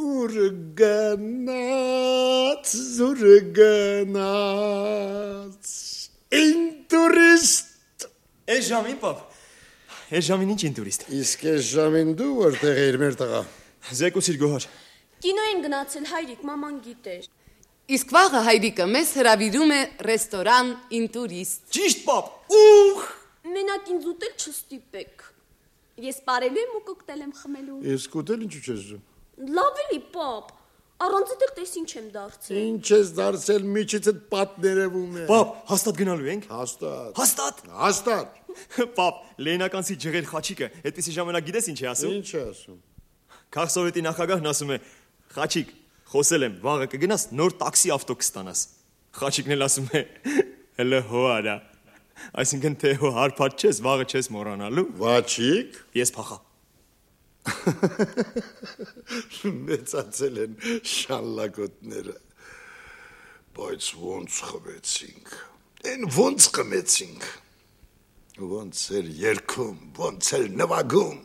ուր գնաց, ինտուրիստ։ Այս ժամին, պապ, այս ժամին ինչ ինտուրիստ։ Իսկ այս ժամին դու որտեղ էիր մեր տղա։ Զեկուցիր Գոհար։ Կինո են գնացել հայրիկ, մաման գիտեր։ Իսկ վաղը հայրիկը մեզ հրավիրում է ռեստորան ինտուրիստ։ Ճիշտ, պապ։ Ուխ։ Մենակ ինձ ուտել չստիպեք։ Ես պարելու եմ ու կոկտեյլ եմ խմելու։ Իսկ ուտել ինչու չես ուզում։ Լավ էլի, պապ։ Առանց դեռ տես ինչ եմ դարձել։ Ինչ ես դարձել, միջիցդ պատներևում է։ Պապ, հաստատ գնալու ենք։ Հաստատ։ Հաստատ։ Հաստատ։ Պապ, Լենականցի ջղել խաչիկը, այդպեսի ժամանակ գիտես ինչ է ասում։ Ինչ է ասում։ Քաղաքսովետի նախագահն ասում է. «Խաչիկ, խոսել եմ, վաղը կգնաս նոր տաքսի ավտո կստանաս»։ Խաչիկն էլ ասում է. «Հələ հո արա»։ Այսինքն թե հո հարբած չես, վաղը չես մոռանալու։ Վաչիկ։ Ես փախա։ Մեծացել են շալլակոտները։ Բայց ոնց խմեցինք։ Են ոնց խմեցինք։ Ոնց էր երգում, ոնց էր նվագում։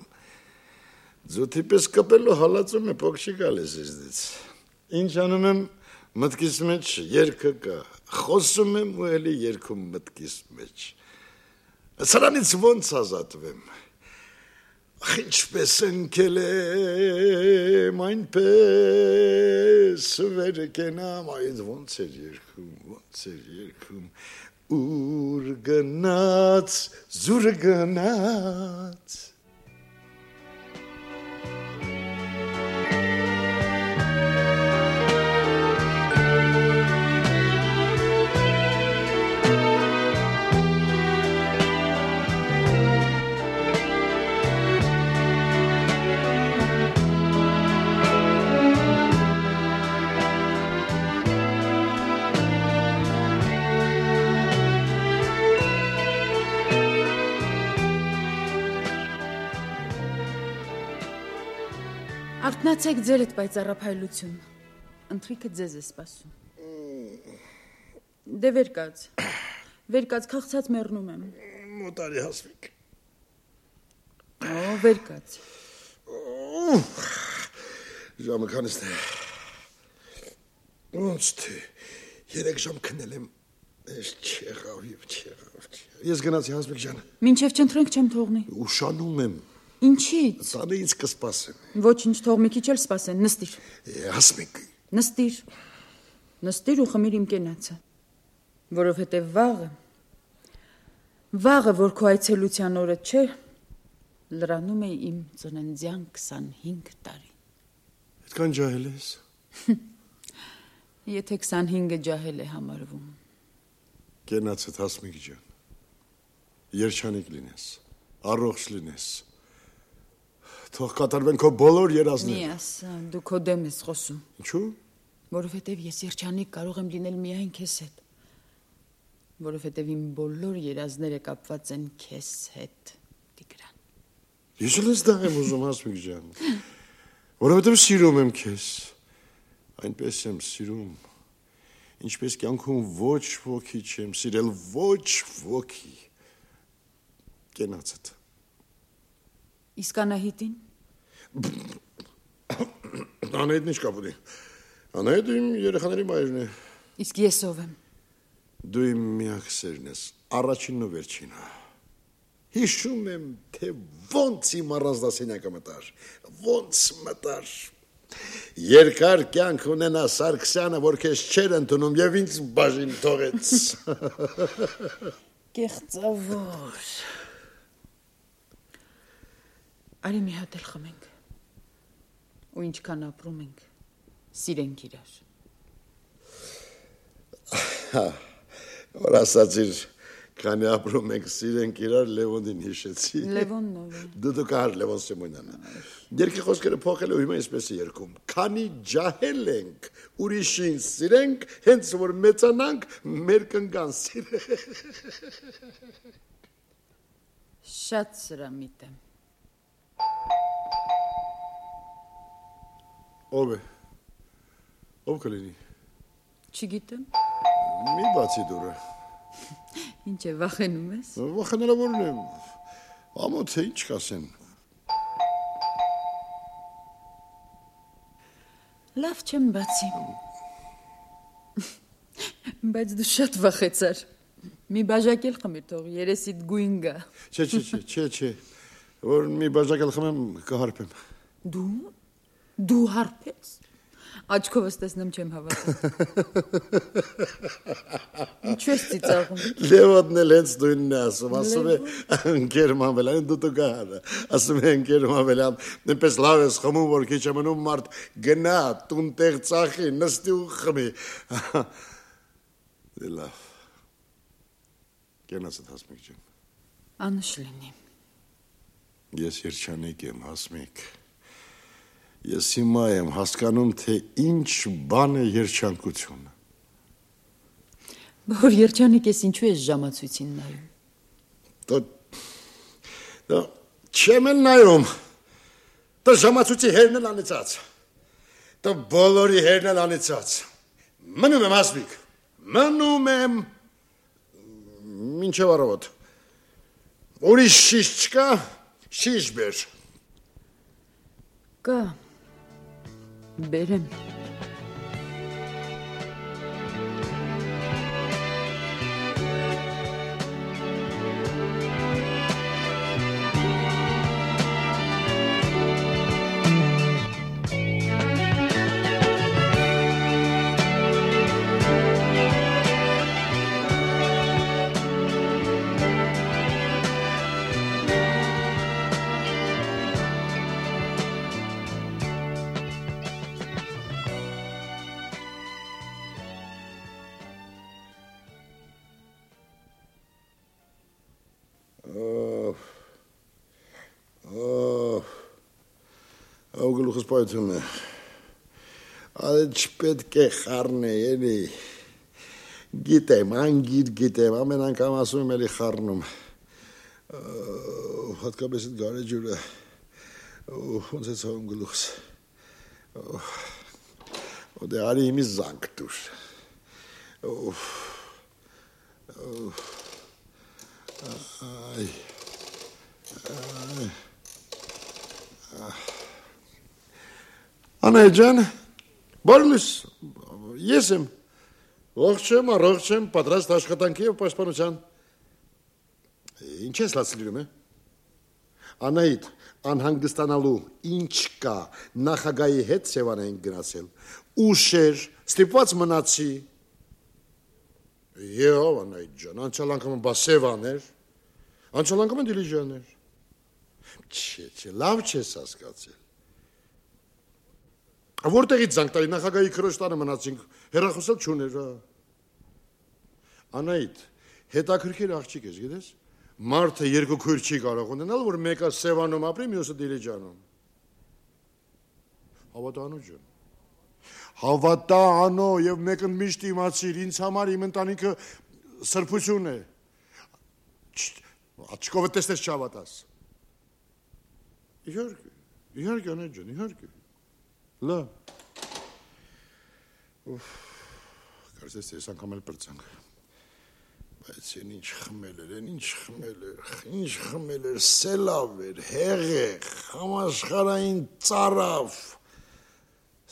Ձոթի պես կպելու հալածում է փոքշի գալիս իզդից։ Ինչ անում եմ մտքիս մեջ երգը կա։ Խոսում եմ ու էլի երգում մտքիս մեջ։ Սրանից ոնց ազատվեմ։ Ինչպես ընկել եմ, այնպես վեր կենամ, այդ ոնց էր երգում, ուր գնաց, զուր գնաց։ Արթնացեք ձեր այդ պայծառափայլություն։ Ընթրիքը ձեզ է սպասում։ Դե վեր կաց, քաղցած մեռնում եմ։ Մոտարի հասվիկ։ Վեր կաց։ Ժամը քանիսն է։ Ոնց թե 3 ժամ քնել եմ։ Չեղավ։ Ես գնացի Հասմիկ ջան։ Մինչև չընտրենք չեմ թողնի։ Ուշանում եմ։ Ինչի՞ց։ Տանը ինձ կսպասեմ։ Ոչինչ, թող մի քիչ էլ սպասեն, նստիր։ Հասմիկ։ Նստիր ու խմիր իմ կենացը։ Որովհետև վաղը, որ քո այցելության օրը չէ, լրանում է իմ ծննդյան 25 տարի։ Այդքան ջահել ես։ Եթե 25-ը ջահել է համարվում։ Կենացդ Հասմիկ ջան։ Երջանիկ լինես, առողջ լինես։ Թող կատարվեն քո բոլոր երազները։ Մի ասա, դու քո դեմ ես խոսում։ Ինչու՞։ Որովհետև ես երջանիկ կարող եմ լինել միայն քեզ հետ։ Որովհետև իմ բոլոր երազները կապված են քեզ հետ, Տիգրան։ Ես էլ դա եմ ուզում Հասմիկ ջան։ Որովհետև սիրում եմ քեզ։ Այնպես եմ սիրում, ինչպես կյանքում ոչ ոքի չեմ սիրել, ոչ ոքի։ Կենացդ։ Իսկ Անահիտին։ Անահիտն ինչ կապ ունի։ Անահիտը իմ երեխաների մայրն է։ Իսկ ես ով եմ։ Դու իմ միակ սերն ես, առաջինն ու վերջինը։ Հիշում եմ, թե ոնց իմ առանձնասենյակը մտար, ոնց մտար։ Երկար կյանք ունենա Սարգսյանը, որ քեզ չեր ընդունում եւ ինձ բաժին թողեց։ Կեղծավոր։ Արի մի հատ էլ խմենք։ Ու ինչքան ապրում ենք, սիրենք իրար։ Որ ասացիր, քանի ապրում ենք սիրենք իրար, Լևոնին հիշեցի։ Լևոնն ով է։ Դու կար Լևոն Սիմոնյանը։ Երկի խոսքերը փոխել ու հիմա այսպես է երգում։ Քանի ջահել ենք, ուրիշին սիրենք, հենց որ մեծանանք, մեր կնգան սիրենք։ Շատ սրամիտ եմ։ Ով է։ Ով կլինի։ Չգիտեմ։ Մի բացի դուրը։ Ինչ է, վախենում ես։ Վախենալավորն եմ։ Ամոթ է, ինչ կասեն։ Լավ չեմ բացի։ Բայց դու շատ վախեցար։ Մի բաժակ էլ խմիր թող, երեսիդ գույն գա։ Չէ։ Որ մի բաժակ էլ խմեմ, կհարպեմ։ Դու հարպես։ Աչքովս տեսնեմ չեմ հավատում։ Ինչու ես ծիծաղում։ Լևոնն էլ հենց նույնն է ասում է ընկեր Մանվելյան, դու գար։ Ասում է ընկեր Մանվելյան, այնպես լավ ես խմում, որ քիչ է մնում մարդ գնա, տուն տեղ ծախի, նստի ու խմի։ Դե լավ։ Կենացդ Հասմիկ ջան։ Անշ լինի։ Ես երջանիկ եմ, Հասմիկ։ Ես հիմա եմ հասկանում, թե ինչ բան է երջանկությունը։ Որ երջանիկ ես, ինչու ես ժամացույցին նայում։ Դա չեմ էլ նայում։ Դա ժամացույցի հերն էլ անիծած։ Դա բոլորի հերն էլ անիծած։ Մնում եմ, Հասմիկ։ Մնում եմ։ Մինչև առավոտ։ Ուրիշ շիշ չկա, շիշ բեր։ Կա։ Բերեմ։ Գլուխս պայթում է։ Այդ չպետք է խառնե, էլի։ Գիտեմ, անգիր գիտեմ, ամեն անգամ ասում եմ էլի խառնում։ Հատկապես այդ գարեջուրը, ոնց է ցավում գլուխս։ Դե արի իմի զանգ դուր։ Այ։ Անահիտ ջան, բարլուս, ես եմ։ Ողջ եմ, առողջ եմ, պատրաստ աշխատանքի եւ պաշտպանության։ Ինչ ես լացլիրում է։ Անահիտ, անհանգստանալու ինչ կա, նախագահի հետ Սևան ենք գնացել։ Ուշեր, ստիպված մնացի։ Եվ Անահիտ ջան, անցյալ անգամ բա Սևան էր, անցյալ անգամ Դիլիջան էր։ Չէ, լավ չես հասկացել։ Որտեղից զանգ տալի նախագահի քրոջ տանը մնացինք, հեռախոսել չուներ, հա։ Անահիտ, հետաքրքիր աղջիկ ես, գիտես։ Մարդը երկու քույր չի կարող ունենալ, որ մեկը Սևանում ապրի, մյուսը Դիլիջանում։ Հավատա անո ջան։ Հավատա անո եւ մեկը միշտ իմացիր, ինձ համար իմ ընտանիքը սրբություն է։ Աչքովը տեսնես չհավատաս։ Իհարկե, Անահիտ ջան, իհարկե։ Լավ։ Կարծես ես անգամ էլ պրծանք։ Բայց ինչ խմել էր, սելավ էր, հեղեղ, համաշխարհային ծարավ,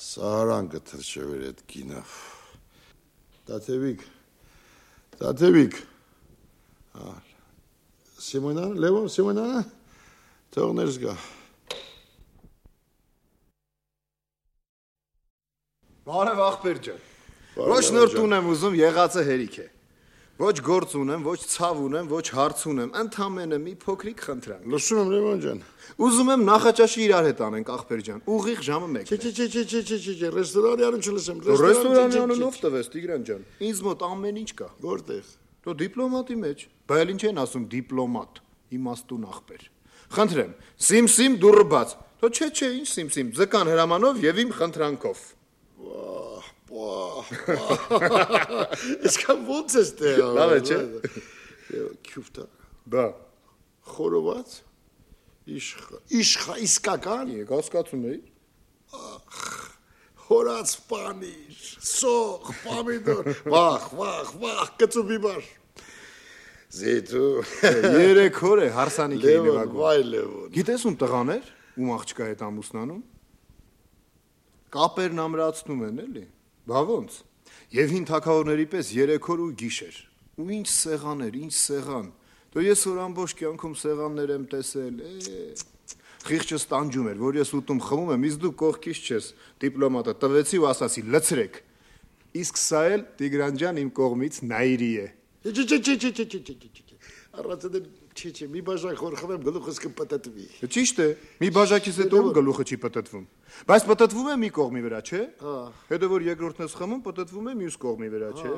սարան գթրչև էր էդ կինավ, տաթևիկ, Սիմոնան, Լևոն, Սիմոնանը, թող ներս գա։ Բարև աղբեր ջան, ոչ նոր տուն եմ ուզում, եղածը հերիք է։ Ոչ գործ ունեմ, ոչ ցավ ունեմ, ոչ հարց ունեմ, ընդամենը մի փոքրիկ խնդրանք։ Լսում եմ Լևոն ջան։ Ուզում եմ նախաճաշի իրար հետ անենք աղբեր ջան, ուղիղ ժամը 1-ն։ Չէ, ռեստորանի անուն չլսեմ։ Ռեստորանի անունով տվես Տիգրան ջան։ Ինձ մոտ ամեն ինչ կա։ Որտեղ։ Դու դիպլոմատի մեջ։ Բայց ինչ են ասում դիպլոմատ, իմաստուն աղբեր։ Խնդրեմ, սիմ դուրը բաց։ Դու չէ, ինչ սիմ, ձկան հրամանով եւ իմ խնդրանքով։ Իսկան ոնց ես տեղը։ Լավ է, չէ։ Քյուֆտա։ Բա։ Խորոված։ Իսկական։ Հասկացում էի։ Հորած պանիր, սող, պամիդոր, վախ, կծու բիբար։ Զետու։ 3 օր է հարսանիք էի նվագում։ Վայ Լևոն։ Գիտես ում տղաներ, ում աղջկա հետ ամուսնանում։ Կապերն ամրացնում են, էլի։ Բա ոնց։ Եվ հին թագավորների պես 3 օր ու գիշեր։ Ու ինչ սեղան։ Դու ես որ ամբողջ կյանքում սեղաններ եմ տեսել, Խիղճս տանջում էր, որ ես ուտում խմում եմ, իսկ դու կողքից չես, դիպլոմատը տվեցի ու ասացի լցրեք։ Իսկ սա էլ Տիգրան ջան իմ կողմից նայիրի է։ Չէ, մի բաժակ խոր խմեմ գլուխս կպտտվի։ Ճիշտ է, մի բաժակից հետո գլուխը չի պտտվում։ Բայց պտտվում է մի կողմի վրա, չէ։ Հետո որ երկրորդն ես խմում, պտտվում է մյուս կողմի վրա, չէ։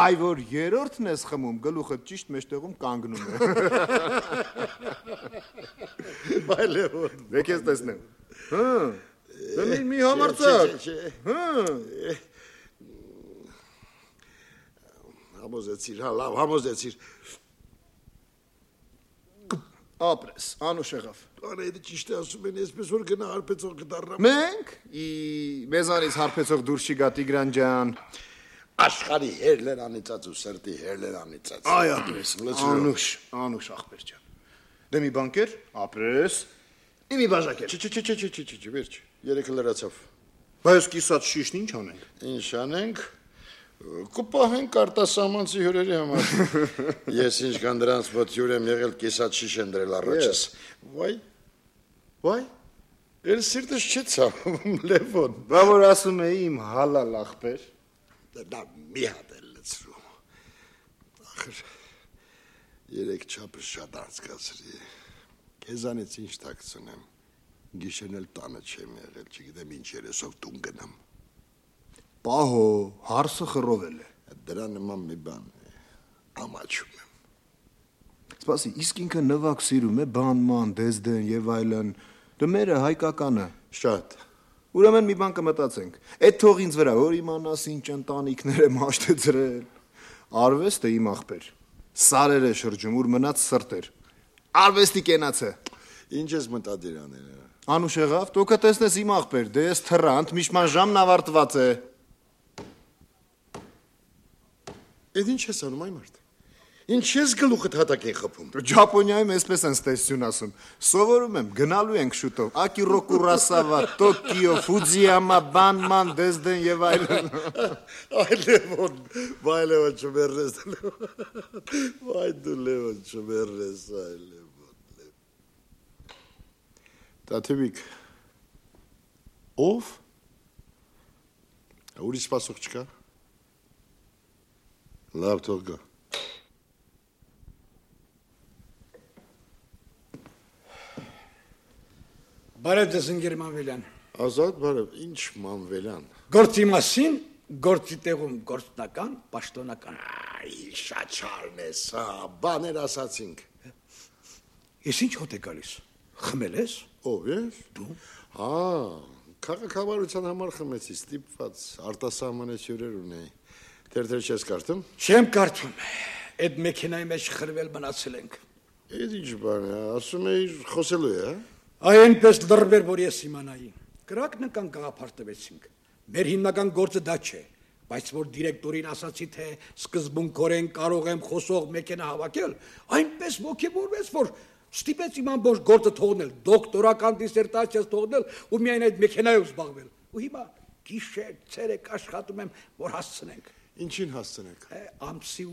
Այ որ երրորդն ես խմում, գլուխը ճիշտ մեջտեղում կանգնում է։ Բայ Լևոն, եկես տեսնեմ։ Մի համարձակ։ Համոզեցիր, հա, լավ, համոզեցիր։ Ապրես, անուշ եղավ։ Անահիտը ճիշտ է ասում են, այսպես որ գնա հարբեցող կդառնամ։ Մենք մեզանից հարբեցող դուրս չի գա Տիգրան ջան։ Աշխարհի հերլեր անիծած ու սրտի հերլեր անիծած։ Այ ապրես, անուշ աղբեր ջան։ Դե մի բան կեր, ապրես։ Իմի բաժակ էր։ Չէ, վերջ, երեքը լրացավ։ Բայց կիսած շիշն ինչ անենք։ Ինչ անենք։ Կպահենք արտասահմանցի հյուրերի համար։ Ես ինչքան դրանց մոտ հյուր եմ եղել, կիսած շիշ են դրել առաջս։ Վայ, էլ սիրտս չի ցավում, Լևոն։ Բա որ ասում էի իմ հալալ աղբեր։ Դա մի հատ էլ լցրու։ Ախր, երեք չափը շատ անցկացրի։ Քեզանից ինչ տակցնեմ։ Գիշերն էլ տանը չեմ եղել, չգիտեմ ինչ երեսով տուն գնամ։ Պահո, հարսը խռովել է։ Դրա նման մի բան է, ամաչում եմ։ Սպասի, իսկ ինքը նվակ սիրում է, բանման, դեզդեն եւ այլն, դու մերը հայկականը։ Շատ։ Ուրեմն մի բան կմտածենք, այդ թող ինձ վրա, որ իմանաս ինչ ընտանիքներ եմ հաշտեցրել։ Արվեստը իմ աղբեր, սարեր է շրջում, ուր մնաց սրտեր, արվեստի կենացը։ Ինչ ես մտադիր անել։ Անուշ եղավ, դու կտեսնես իմ աղբեր, դե ես թռանտ, միշման ժամն ավարտված է։ Էդ ինչ ես անում, այ մարդ։ Ինչ ես գլուխդ հատակ են խփում։ Ճապոնիայում այսպես են ստեսություն ասում։ Սովորում եմ, գնալու ենք շուտով։ Ակիրո Կուրասավա, Տոկիո, Ֆուջիյամա, Բանման, Դեզդեն եւ այլն։ Վայ Լևոն չմերես։ Վայ դու Լևոն չմերես, այ Լևոն։ Տաթևիկ։ Ով։ Ուրիշ սպասող չկա։ Լավ թող գա։ Բարև ձեզ ընկեր Մանվելյան։ Ազատ բարև, ինչ Մանվելյան։ Գործի մասին, գործի տեղում գործնական, պաշտոնական։ Այ շաչարն ես, բաներ ասացինք։ Ես ինչ հոտ է գալիս։ Խմել ես։ Ով ես։ Դու։ Քաղաքավարության համար խմեցի, ստիպված, արտասահմանեց հյուրեր ունեի։ Թերթեր չես կարդում։ Չեմ կարդում։ Այդ մեքենայի մեջ խրվել մնացել ենք։ Էդ ինչ բան է, ասում էիր խոսելու է, հա։ Այնպես լրբեր, որ ես իմանայի։ Կրակնական գաղափար Մեր հիմնական գործը դա չէ, բայց որ դիրեկտորին ասացի, թե սկզբունքորեն կարող եմ խոսող մեքենա հավաքել, այնպես ոգևորվեց, որ ստիպեց իմ ամբողջ գործը թողնել, դոկտորական դիսերտացիաս թողնել ու միայն այդ մեքենայով զբաղվել։ Ու հիմա գիշեր, ցերեկ աշխատում եմ, որ հասցնենք։ Ինչին հասցնենք։ Ամսի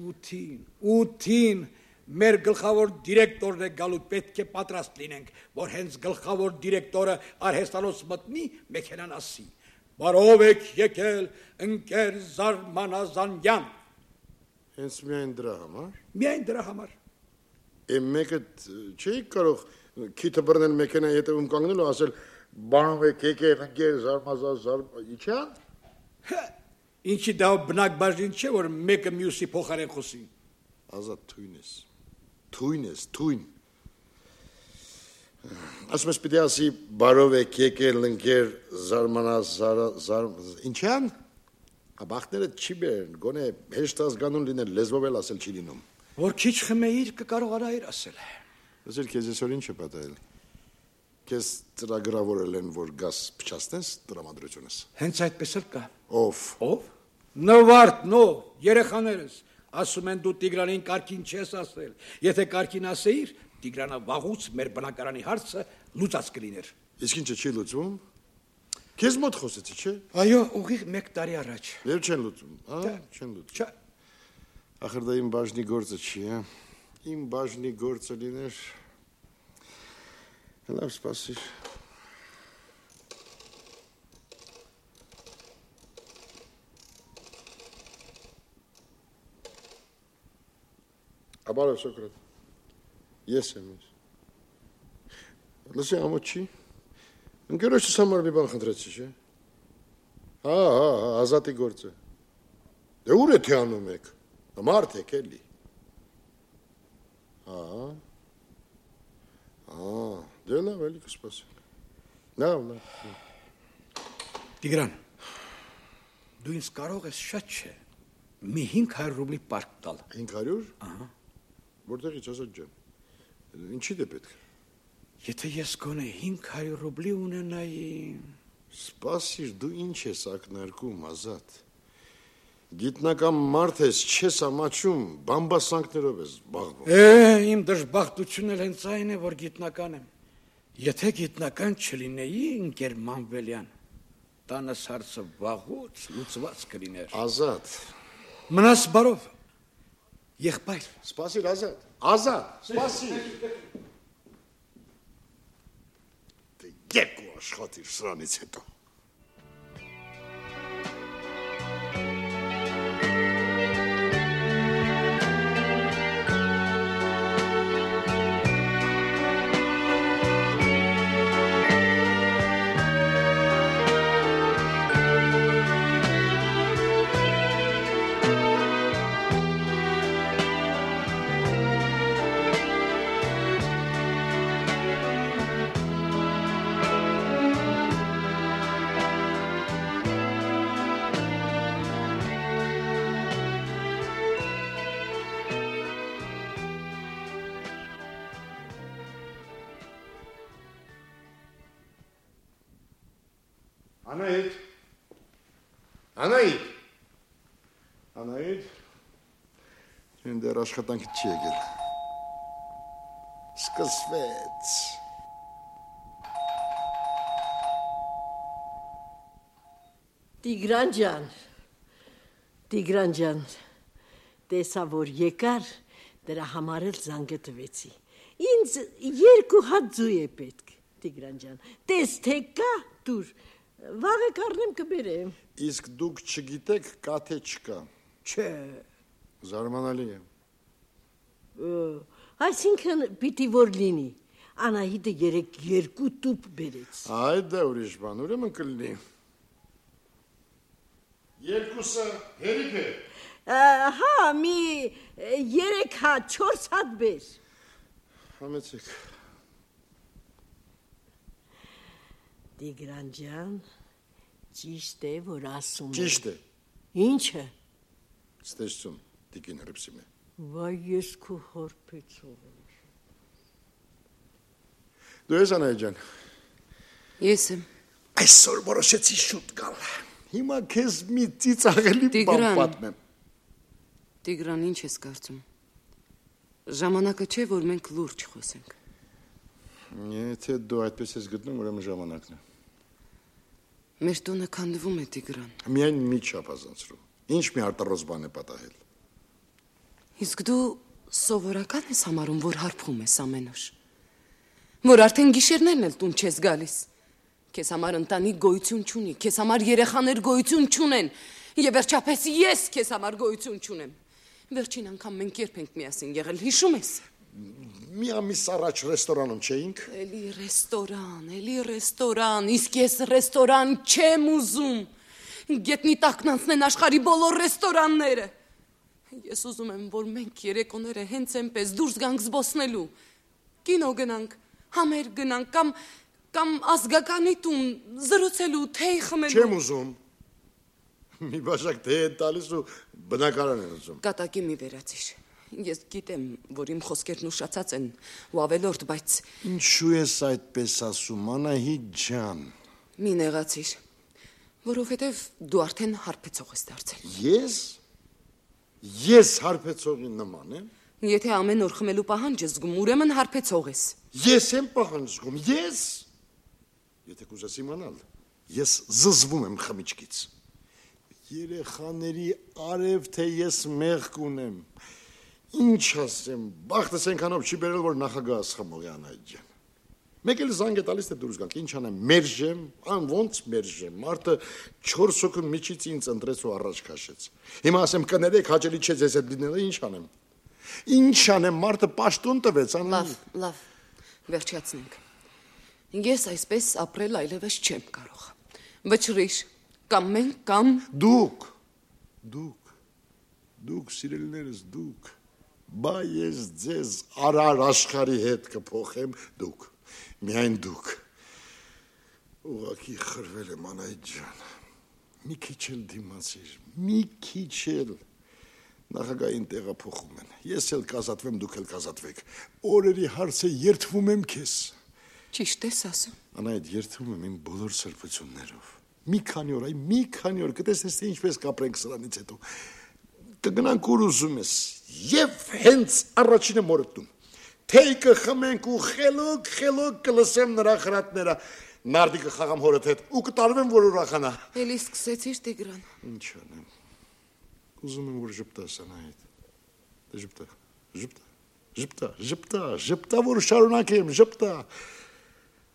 8-ին մեր գլխավոր դիրեկտորն է գալու, պետք է պատրաստ լինենք, որ հենց գլխավոր դիրեկտորը արհեստանոց մտնի, մեքենան ասի. Բարով եք եկել ընկեր Զարմանազանյան։ Հենց միայն դրա համար։ Միայն դրա համար։ Մեկը չէի կարող քիթը բռնել մեքենայի հետևում կանգնել ու ասել բարով եք եկել ընկեր Զարմանազանյան։ Ինչի դա բնակ բաժին չէ, որ մեկը մյուսի փոխարեն խոսի։ Ազատ թույն ես։ Ասում ես պիտի ասի բարով եք եկել ընկեր Ինչյան։ Բախտները չի բերեն, գոնե հեշտ ազգանուն լինել, լեզվով էլ ասել չի լինում։ Որ քիչ խմեիր կկարողանայիր ասել։ Լսել քեզ այսօր ինչ է պատահել։ Քեզ ծրագրավորել են, որ գաս փչացնես տրամադրությունս։ Հենց այդպես էլ կա։ Ով։ Նվարդն, երեխաներս։ Ասում են դու Տիգրանին կարգին չես ասել։ Եթե կարգին ասեիր, Տիգրանը վաղուց մեր բնակարանի հարցը լուծած կլիներ։ Իսկ ինչը չի լուծվում։ Քեզ մոտ խոսեցի, չէ։ Այո, ուղիղ 1 տարի առաջ։ Եվ չեն լուծում, չեն լուծում։ Չէ։ Ախր դա իմ բաժնի գործը չի, հա։ Իմ բաժնի գործը լիներ։ Լավ, սպասիր։ Բարև Սոկրատ։ Ես եմ ես։ Լսի ամոթ չի։ Ընկերոջս համար մի բան խնդրեցի, չէ։ Ազատի գործը։ Դե ուր է թե անում եք։ Մարդ եք էլի։ Դե լավ էլի կսպասենք։ Լավ։ Տիգրան, դու ինձ կարող ես շատ չէ։ Մի 500 ռուբլի պարկ տալ։ 500։ Որտեղից Ազատ ջան։ Ինչի դե պետք։ Եթե ես գոնե 500 ռուբլի ունենայի։ Սպասիր, դու ինչ ես ակնարկում, Ազատ։ Գիտնական մարդ ես, չես ամաչում, բամբասանքներով ես զբաղվում։ Իմ դժբախտությունն էլ հենց այն է, որ գիտնական եմ։ Եթե գիտնական չլինեի, ընկեր Մանվելյան, տանս հարցը վաղուց լուծված կլիներ։ Ազատ։ Մնաս բարով։ Եղբայր։ Սպասիր, Ազատ, սպասիր։ Դե երկու աշխատիր սրանից հետո։ Անահիտ։ Անահիտ։ Անահիտ։ Ինձ դեռ աշխատանքի չի եկել։ Սկսվեց։ Տիգրան ջան, տեսա որ եկար, դրա համար էլ զանգը տվեցի։ Ինձ 2 հատ ձու է պետք, Տիգրան ջան։ Տես թե կա, դուր, վաղը կառնեմ կբերեմ։ Իսկ դուք չգիտեք կա թե չկա։ Չէ։ Զարմանալի է։ Այսինքն պիտի որ լինի։ Անահիտը 2 տուփ բերեց։ Այդ դա ուրիշ բան, ուրեմն կլինի։ 2-ը հերիք է։ Հա, մի 3 հատ, 4 հատ բեր։ Համեցեք։ Տիգրան ջան, ճիշտ է, որ ասում է։ Ճիշտ է։ Ինչը։ Ստեյցում, Տիկին Հրիփսիմե։ Վայ, ես քո հարբեցող եմ։ Դու ես Անահիտ ջան։ Ես եմ։ Այսօր որոշեցի շուտ գալ։ Հիմա քեզ մի ծիծաղելի բան պատմեմ։ Տիգրան, ինչ ես կարծում։ Ժամանակը չէ, որ մենք լուրջ խոսենք։ Եթե դու այդպես ես գտնում, ուրեմն ժամանակն է։ Մեր տունը քանդվում է, Տիգրան։ Միայն մի չափազանցրու։ Ինչ մի արտարոց բան է պատահել։ Իսկ դու սովորական ես համարում, որ հարբում ես ամեն օր։ Որ արդեն գիշերներն էլ տուն չես գալիս։ Քեզ համար ընտանիք գոյություն չունի, քեզ համար երեխաներ գոյություն չունեն, եւ վերջապես ես քեզ համար գոյություն չունեմ։ Վերջին անգամ մենք երբ ենք միասին եղել, հիշում ես։ Մի ամիս առաջ ռեստորանում չէինք։ Էլի ռեստորան, իսկ ես ռեստորան չեմ ուզում։ Գետնի տակն անցնեն աշխարհի բոլոր ռեստորանները։ Ես ուզում եմ, որ մենք երեկոները հենց այնպես դուրս գանք զբոսնելու։ Կինո գնանք, համեր գնանք կամ ազգականի տուն զրուցելու, թեյ խմելու։ Չեմ ուզում։ Մի բաժակ թեյ է տալիս ու բնակարան են ուզում։ Կատակի մի վերացիր։ Ես գիտեմ, որ իմ խոսքերն ուշացած են ու ավելորդ, բայց Ինչու ես այդպես ասում, Անահիտ ջան։ մի նեղացիր, որովհետև դու արդեն հարբեցող ես դարձել։ Ես հարբեցողի նման եմ։ Եթե ամեն օր խմելու պահանջ ես զգում, ուրեմն հարբեցող ես։ Ես եմ պահանջ զգում, ես։ Եթե կուզես իմանալ, ես զզվում եմ խմիչքից։ Երեխաների արև թե ես մեղք ունեմ։ Ինչ ասեմ, բախտս այնքանով չի բերել, որ նախագահս խմող է Անահիտ ջան։ Մեկ էլ զանգ է տալիս թե դուրս գանք, ինչ անեմ, մերժեմ, ոնց մերժեմ։ Մարդը 4 հոգու միջից ինձ ընտրեց ու առաջ քաշեց։ Հիմա ասեմ կներեք, հաճելի չէ ձեզ հետ լինելը, ինչ անեմ։ Ինչ անեմ, մարդը պաշտոն տվեց, Անահիտ։ Լավ, վերջացնենք։ Ես այսպես ապրել այլևս չեմ կարող։ Վճռիր, կամ մենք, կամ Դուք, սիրելիներս, դուք։ Բա ես ձեզ արար աշխարհի հետ կփոխեմ, դուք, միայն դուք։ Ուղղակի խրվել եմ Անահիտ ջան։ Մի քիչ էլ դիմացիր, մի քիչ էլ։ Նախագահին տեղափոխում են։ Ես էլ կազատվեմ, դուք էլ կազատվեք։ Օրերի հարց է, երդվում եմ քեզ։ ճիշտ ես ասում։ Անահիտ, երդվում եմ իմ բոլոր սրբություններով։ Մի քանի օր կտեսնես թե ինչպես կապրենք սրանից հետո։ Կգնանք ուր ուզում ես, եւ հենց առաջինը մորտում։ Թեյ կխմենք ու խելոք կլսեմ նրա խրատները։ Նարդի կխաղամ հորդ հետ ու կտարվեմ, որ ուրախանա։ Էլի սկսեցիր, Տիգրան։ Ինչ անեմ։ Ուզում եմ, որ ժպտաս, Անահիտ։ Ժպտա, որ շարունակեմ, ժպտա։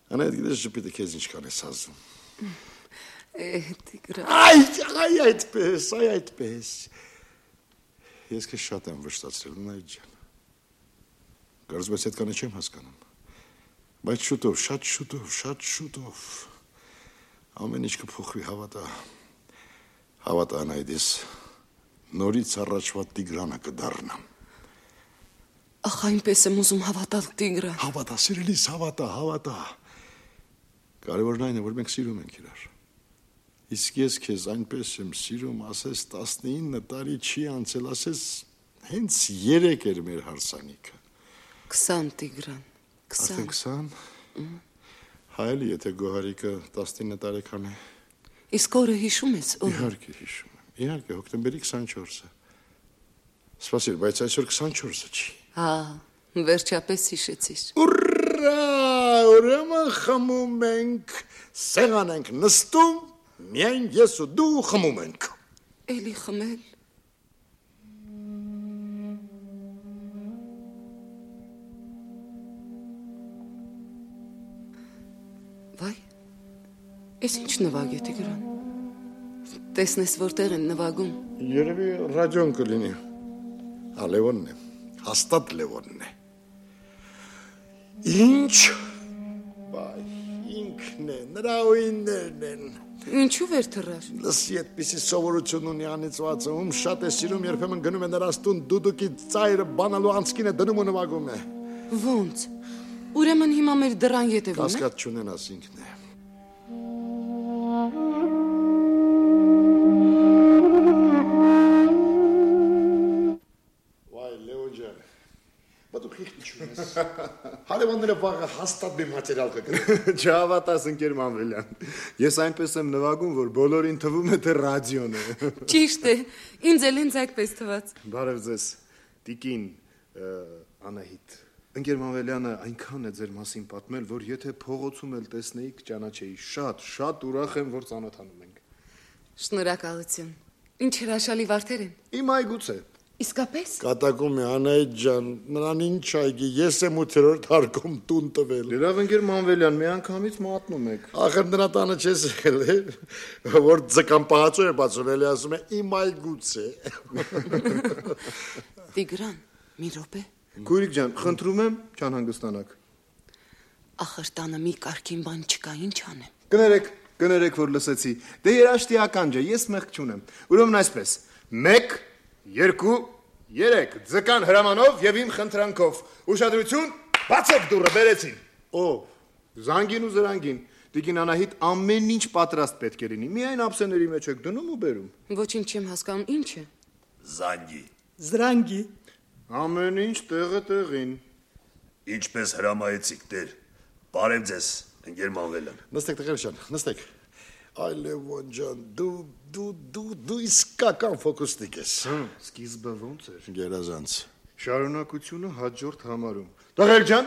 Անահիտ, գիտես ժպիտը քեզ ինչքան է սազում։ Տիգրան։ Այդպես։ Ես քեզ շատ եմ վշտացրել, Անահիտ ջան։ Կարծում ես այդքանը չեմ հասկանում։ Բայց շուտով, շատ շուտով ամեն ինչ կփոխվի, հավատա։ Հավատա, Անահիտ, ես նորից առաջվա Տիգրանը կդառնամ։ Ախ, այնպես եմ ուզում հավատալ, Տիգրան։ Հավատա, սիրելիս, հավատա։ Կարևորն այն է, որ մենք սիրում ենք իրար։ Իսկ ես քեզ այնպես եմ սիրում, ասես 19 տարի չի անցել, ասես հենց 3 էր մեր հարսանիքը։ 20, Տիգրան, 20։ Արդեն 20։ Հայելի, եթե Գոհարիկը 19 տարեկան է։ Իսկ օրը հիշում ես, օր։ Իհարկե հիշում եմ։ Իհարկե հոկտեմբերի 24-ը։ Սպասիր, բայց այսօր 24-ը չի։ Հա, վերջապես հիշեցիր։ Ուրա, ուրեմն խմում ենք, սեղան ենք նստում, միայն ես ու դու խմում ենք։ Էլի խմել։ Վայ, ես ինչ նվագ է Տիգրան։ Տեսնես որտեղ են նվագում։ Երևի ռադիոն կլինի։ Հա, Լևոնն է, հաստատ Լևոնն է։ Ինչ։ Բայ, ինքն է, նրա ուիններն են։ Ինչու վեր թռար։ Լսի այդպիսի սովորություն ունի անիծվածը, ում շատ է սիրում, երբեմն գնում է նրանց տուն դուդուկի ծայրը բանալու անցքին է դնում ու նվագում է։ Ոնց։ Ուրեմն հիմա մեր դռան ետևում է։ Կասկած չունենաս, ինքն է։ Վայ, Լևոն ջան, բա դու քիչ չունես։ Հարևանները վաղը հաստատ մի մատերիալ կգրեն։ Չհավատաս ընկեր Մանվելյան։ Ես այնպես եմ նվագում, որ բոլորին թվում է թե ռադիոն է։ Ճիշտ է, ինձ էլ ինձ այդպես թվաց։ Բարև ձեզ, Տիկին Անահիտ։ Ընկեր Մանվելյանը այնքան է ձեր մասին պատմել, որ եթե փողոցում էլ տեսնեի, կճանաչեի։ Շատ ուրախ եմ, որ ծանոթանում ենք։ Շնորհակալություն։ Ինչ հրաշալի վարդեր են։ Իմ այգուց է։ Իսկապես։ Կատակում է Անահիտ ջան, նրան ինչ այգի, ես եմ 8-րդ հարկում տուն տվել։ Լավ ընկեր Մանվելյան, մի անգամից մատնում եք։ Ախր նրա տանը չես եղել, որ ձկան պահածո է բացում, էլի ասում է իմ այգուց է։ Տիգրան, մի րոպե։ Քույրիկ ջան, խնդրում եմ, չանհանգստանաք։ Ախր տանը մի կարգին բան չկա, ինչ անեմ։ Կներեք, որ լսեցի։ Դե երաշտի ականջ է, ես մեղք չունեմ։ Ուրեմն այսպես. 1, 2, 3 ձկան հրամանով եւ իմ խնդրանքով։ Ուշադրություն, բացեք դուռը, բերեցին։ Զանգին ու զրանգին։ Տիկին Անահիտ ամեն ինչ պատրաստ պետք է լինի։ Միայն ափսեների մեջ եք դնում ու բերում։ Ոչինչ չեմ հասկանում, ինչ է։ Զանգի։ Զրանգի։ Ամեն ինչ տեղը տեղին։ Ինչպես հրամայեցիք դեր։ Բարև ձեզ, ընկեր Մանվելյան։ Նստեք տղեր ջան, նստեք։ Այ Լևոն ջան, դու իսկական ֆոկուսնիկ ես։ Սկիզբը ոնց էր։ Գերազանց։ Շարունակությունը հաջորդ համարում։ Տղեր ջան,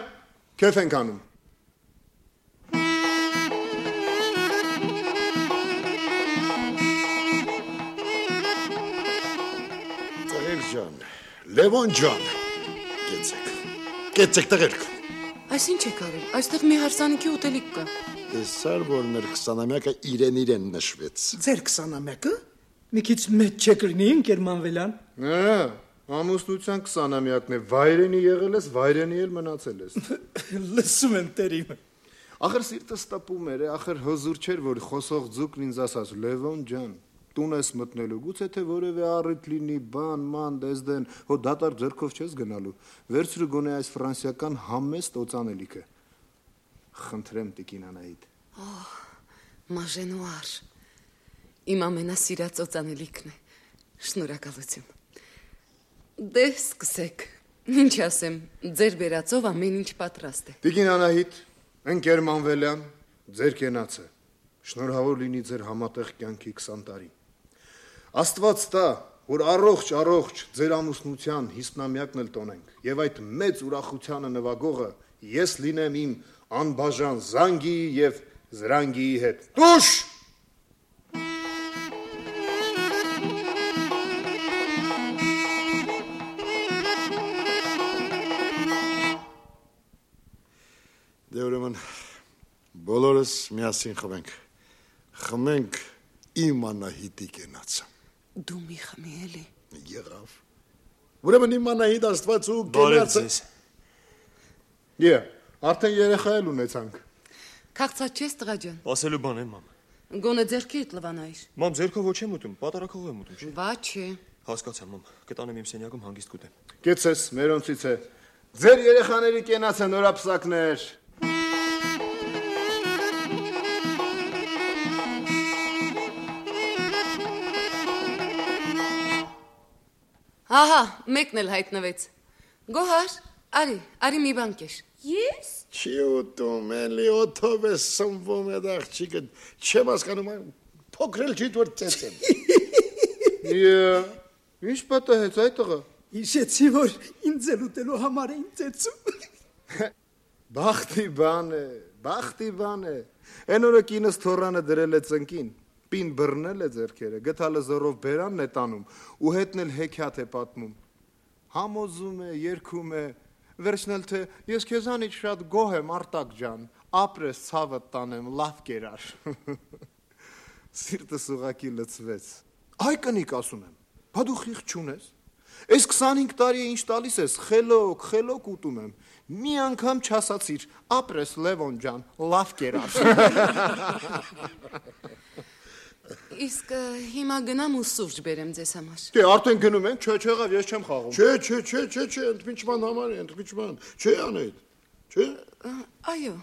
քեֆ ենք անում։ Տղեր ջան, Լևոն ջան, կեցեք տղերք։ Այս ինչ եք արել։ Այստեղ մի հարսանիքի ուտելիք կա։ Տեսար, որ մեր 20-ամյակը իրեն նշվեց։ Ձեր 20-ամյակը։ Մի քիչ մեծ չեք լինի, ընկեր Մանվելյան։ Ամուսնության 20-ամյակն է, վայրենի եղել ես, վայրենի էլ մնացել ես։ Լսում եմ տերիմ։ Ախր սիրտս տպում էր, ախր հզուր չէր, որ խոսող ձուկն ինձ ասաց. Լևոն ջան, տուն ես մտնելու, գուցե թե որևէ առիթ լինի, բան, ման, դեզդեն, հո դատարկ ձեռքով չես գնալու։ Վերցրու գոնե այս ֆրանսիական համեստ օծանելիքը։ Խնդրեմ Տիկին Անահիտ։ Մաժենուար։ Իմ ամենասիրած օծանելիքն է։ Շնորհակալություն։ Դե սկսեք։ Ինչ ասեմ, ձեր բերածով ամեն ինչ պատրաստ է։ Տիկին Անահիտ, ընկեր Մանվելյան, ձեր կենացը։ Շնորհավոր լինի ձեր համատեղ կյանքի 20 տարի։ Աստված տա, որ առողջ ձեր ամուսնության 50-ամյակն էլ տոնենք, եւ այդ մեծ ուրախությանը նվագողը ես լինեմ իմ անբաժան զանգի եւ զրանգիի հետ։ Տուշ! Դե ուրեմն բոլորս միասին խմենք իմ Անահիտի կենացը։ Դու մի խմի էլի։ Եղավ։ Ուրեմն իմ Անահիտ Աստված ու կենացը։ Արդեն երեխա էլ ունեցանք։ Քաղցած չես տղա ջան։ Ասելու բան է, մամ։ Գոնե ձերքիդ լվանայր։ Մամ, ձերքով ոչ եմ ուտում, պատարակով եմ ուտում, չէ՞։ Բա չէ։ Հասկացա, մամ։ Կտանեմ իմ սենյակում հանգիստ կուտեմ։ Կեցես, մերոնցից է։ Ձեր երեխաների կենացը նորապսակներ։ Ահա, մեկն էլ հայտնվեց։ Գոհար, արի մի բան կեր։ Ես։ Չի ուտում, էլի օթով է սնվում այդ աղջիկը, չեմ հասկանում, փոքրել չի դուր ծեցեմ։ Ինչ պատահեց այդ տղա։ Հիշեցի, որ ինձ էլ ուտելու համար էին ծեցում։ Բախտի բան է։ Այն օրը կինս թորանը դրել է ծնկին, պին բռնել է ձեռքերը, գտալը զորով բերանն է տանում ու հետն էլ հեքիաթ է պատմում։ Համոզում է, երգում է, վերջն էլ թե ես քեզանից շատ գոհ եմ Արտակ ջան, ապրես ցավդ տանեմ, լավ կերար։ Սիրտս ուղակի լցվեց։ Այ կնիկ ասում եմ, բա դու խիղճ չունես։ Այս 25 տարի է ինչ տալիս ես, խելոք ուտում եմ։ Մի անգամ չասացիր, ապրես Լևոն ջան, լավ կերար։ Իսկ հիմա գնամ ու սուրճ բերեմ ձեզ համար։ Դե արդեն գնում ենք, չէ, եղավ, ես չեմ խաղում։ Չէ, ընդմիջման համար է, ընդմիջման։ Չէ անեիդ։ Չէ։ Այո։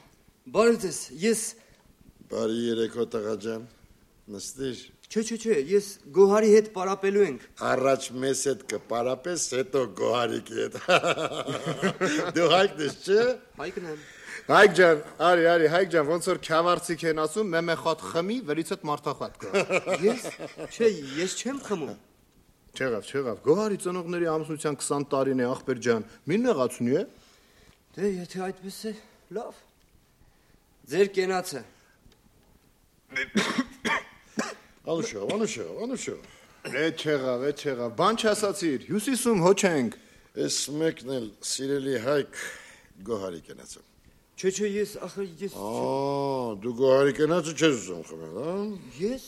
Բարև ձեզ, ես Բարի երեկո տղա ջան։ Նստիր։ Չէ, ես Գոհարի հետ պարապելու ենք։ Առաջ մեզ հետ կպարապես, հետո Գոհարիկի հետ։ Դու Հայկն ես, չէ։ Հայկն եմ։ Հայկ ջան, արի, Հայկ ջան, ոնց որ քավարցիկ են ասում, մեմեխատ խմի, վերից հետ մարտախատ կա։ Ես չեմ խմում։ Չեղավ, Գոհարի ծնողների ամուսնության 20 տարին է, ախպեր ջան, մի նեղացունի է։ Դե, եթե այդպես է, լավ։ Ձեր կենացը։ Անուշով։ Էդ չեղավ, բան չասացիր, հյուսիսում հոչ ենք։ Ես մեկն էլ սիրելի Հայկ Գոհարի կենացը։ Չէ, ես Դու Գոհարի կենացը չես ուզում խմել, հա։ Ես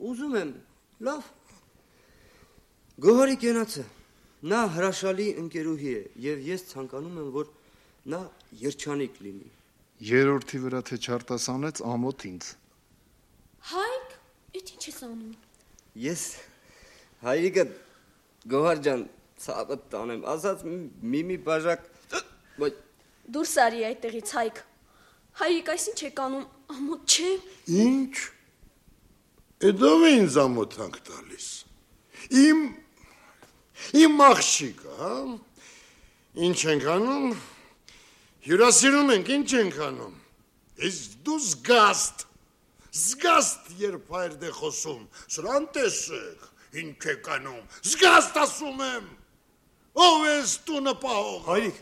ուզում եմ, լավ։ Գոհարի կենացը, նա հրաշալի ընկերուհի է, և ես ցանկանում եմ, որ նա երջանիկ լինի։ Երորդի վրա թե չարտասանեց ամոթ ինձ։ Հայկ, էդ ինչ ես անում։ Ես Հայիկը Գոհար ջան ցավը տանեմ, ասած մի բաժակ Դուրս արի այդտեղից Հայկ։ Հայիկ, այս ինչ եք անում, ամոթ չէ։ Ինչ։ Էդով է ինձ ամոթանք տալիս։ Իմ աղջիկը, հա։ Ինչ ենք անում։ Հյուրասիրում ենք, ինչ ենք անում։ Իսկ դու զգաստ երբ հայրդ է խոսում, սրան տեսեք, ինչ եք անում, զգաստ ասում եմ, ով ես տունը պահող։ Հայրիկ,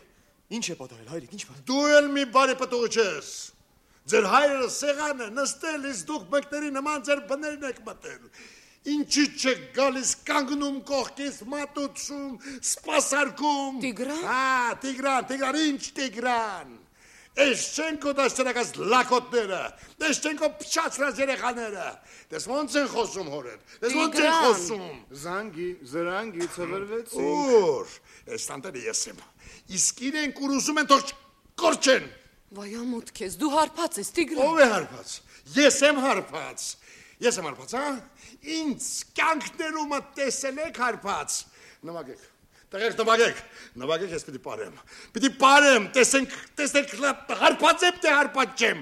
ինչ է պատահել, Հայրիկ, ինչ բան։ Դու էլ մի բարի պտուղ չես, ձեր հայրը սեղան է նստել, իսկ դուք մեկների նման ձեր բներն եք մտել, ինչի չեք գալիս կանգնում կողքից մատուցում, սպասարկում։ Տիգրան, ինչ Տիգրան։ Էշչենկո դաշտերակած լակոտները, Էշչենկո փչացրած երեխաները, դες ոնց են խոսում հորեր, դες ոնց են խոսում։ Զրանգի ծվրվեցին։ Ուր, ես տանտերը ես եմ, իսկ իրենք ուր ուզում են թող կորչեն։ Վայ ամոթ քեզ, դու հարբած ես, Տիգրան։ Ով է հարբած, ես եմ հարբած, հա, ինձ կյանքներումը տեսել եք հարբած, նվագեք։ Նվագեք, ես պիտի պարեմ, տեսենք հարպած եմ, թե հարպած չեմ։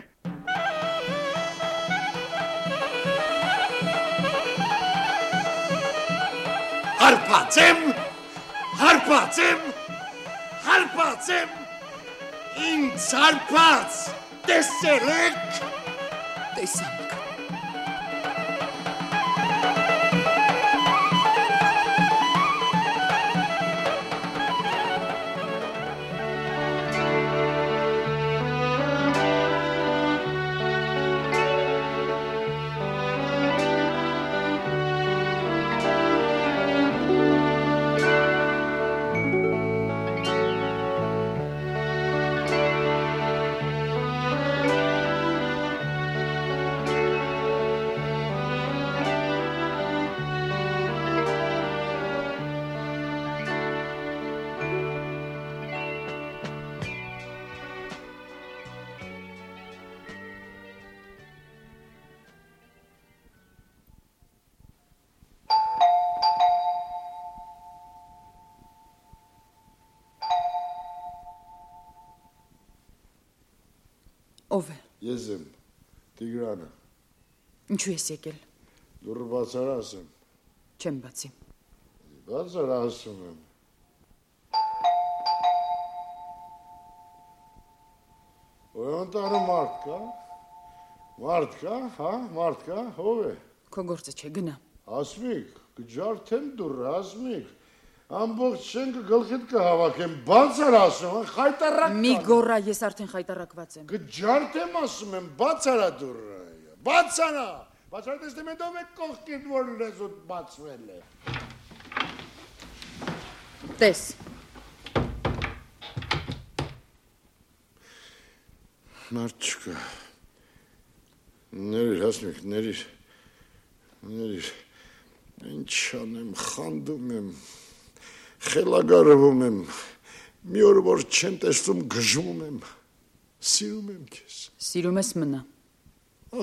Հարպած եմ, ինձ հարպած, տեսել եք։ Տեսանք։ Ով է։ Ես եմ, Տիգրանը։ Ինչու ես եկել։ Դուրը բացար ասեմ։ Չեմ բացի։ Բացար ասում եմ։ Որ անտարում մարդ կա, Մարդ կա, հա, մարդ կա, ով է։ Քո գործը չէ, գնա։ Ասմիկ, կջարդեմ դուրը, ասմիկ։ Ամբողջ շենքը գլխիդ կհավաքեմ, բաց էր ասում, խայտարակ կան։ Մի գոռա, ես արդեն խայտարակված եմ։ Կջարդեմ ասում եմ, բաց արա դուրը, բաց արա։ Բաց արա տեսնեմ հետով է կողքիդ, որ լեզուտ բացվել է։ Տես։ Մարդ չկա։ Ներիր, ասմիկ, ներիր, ինչ անեմ, խանդում եմ, խելագարվում եմ, մի օր որ չեմ տեսնում գժվում եմ, սիրում եմ քեզ։ Սիրում ես մնա։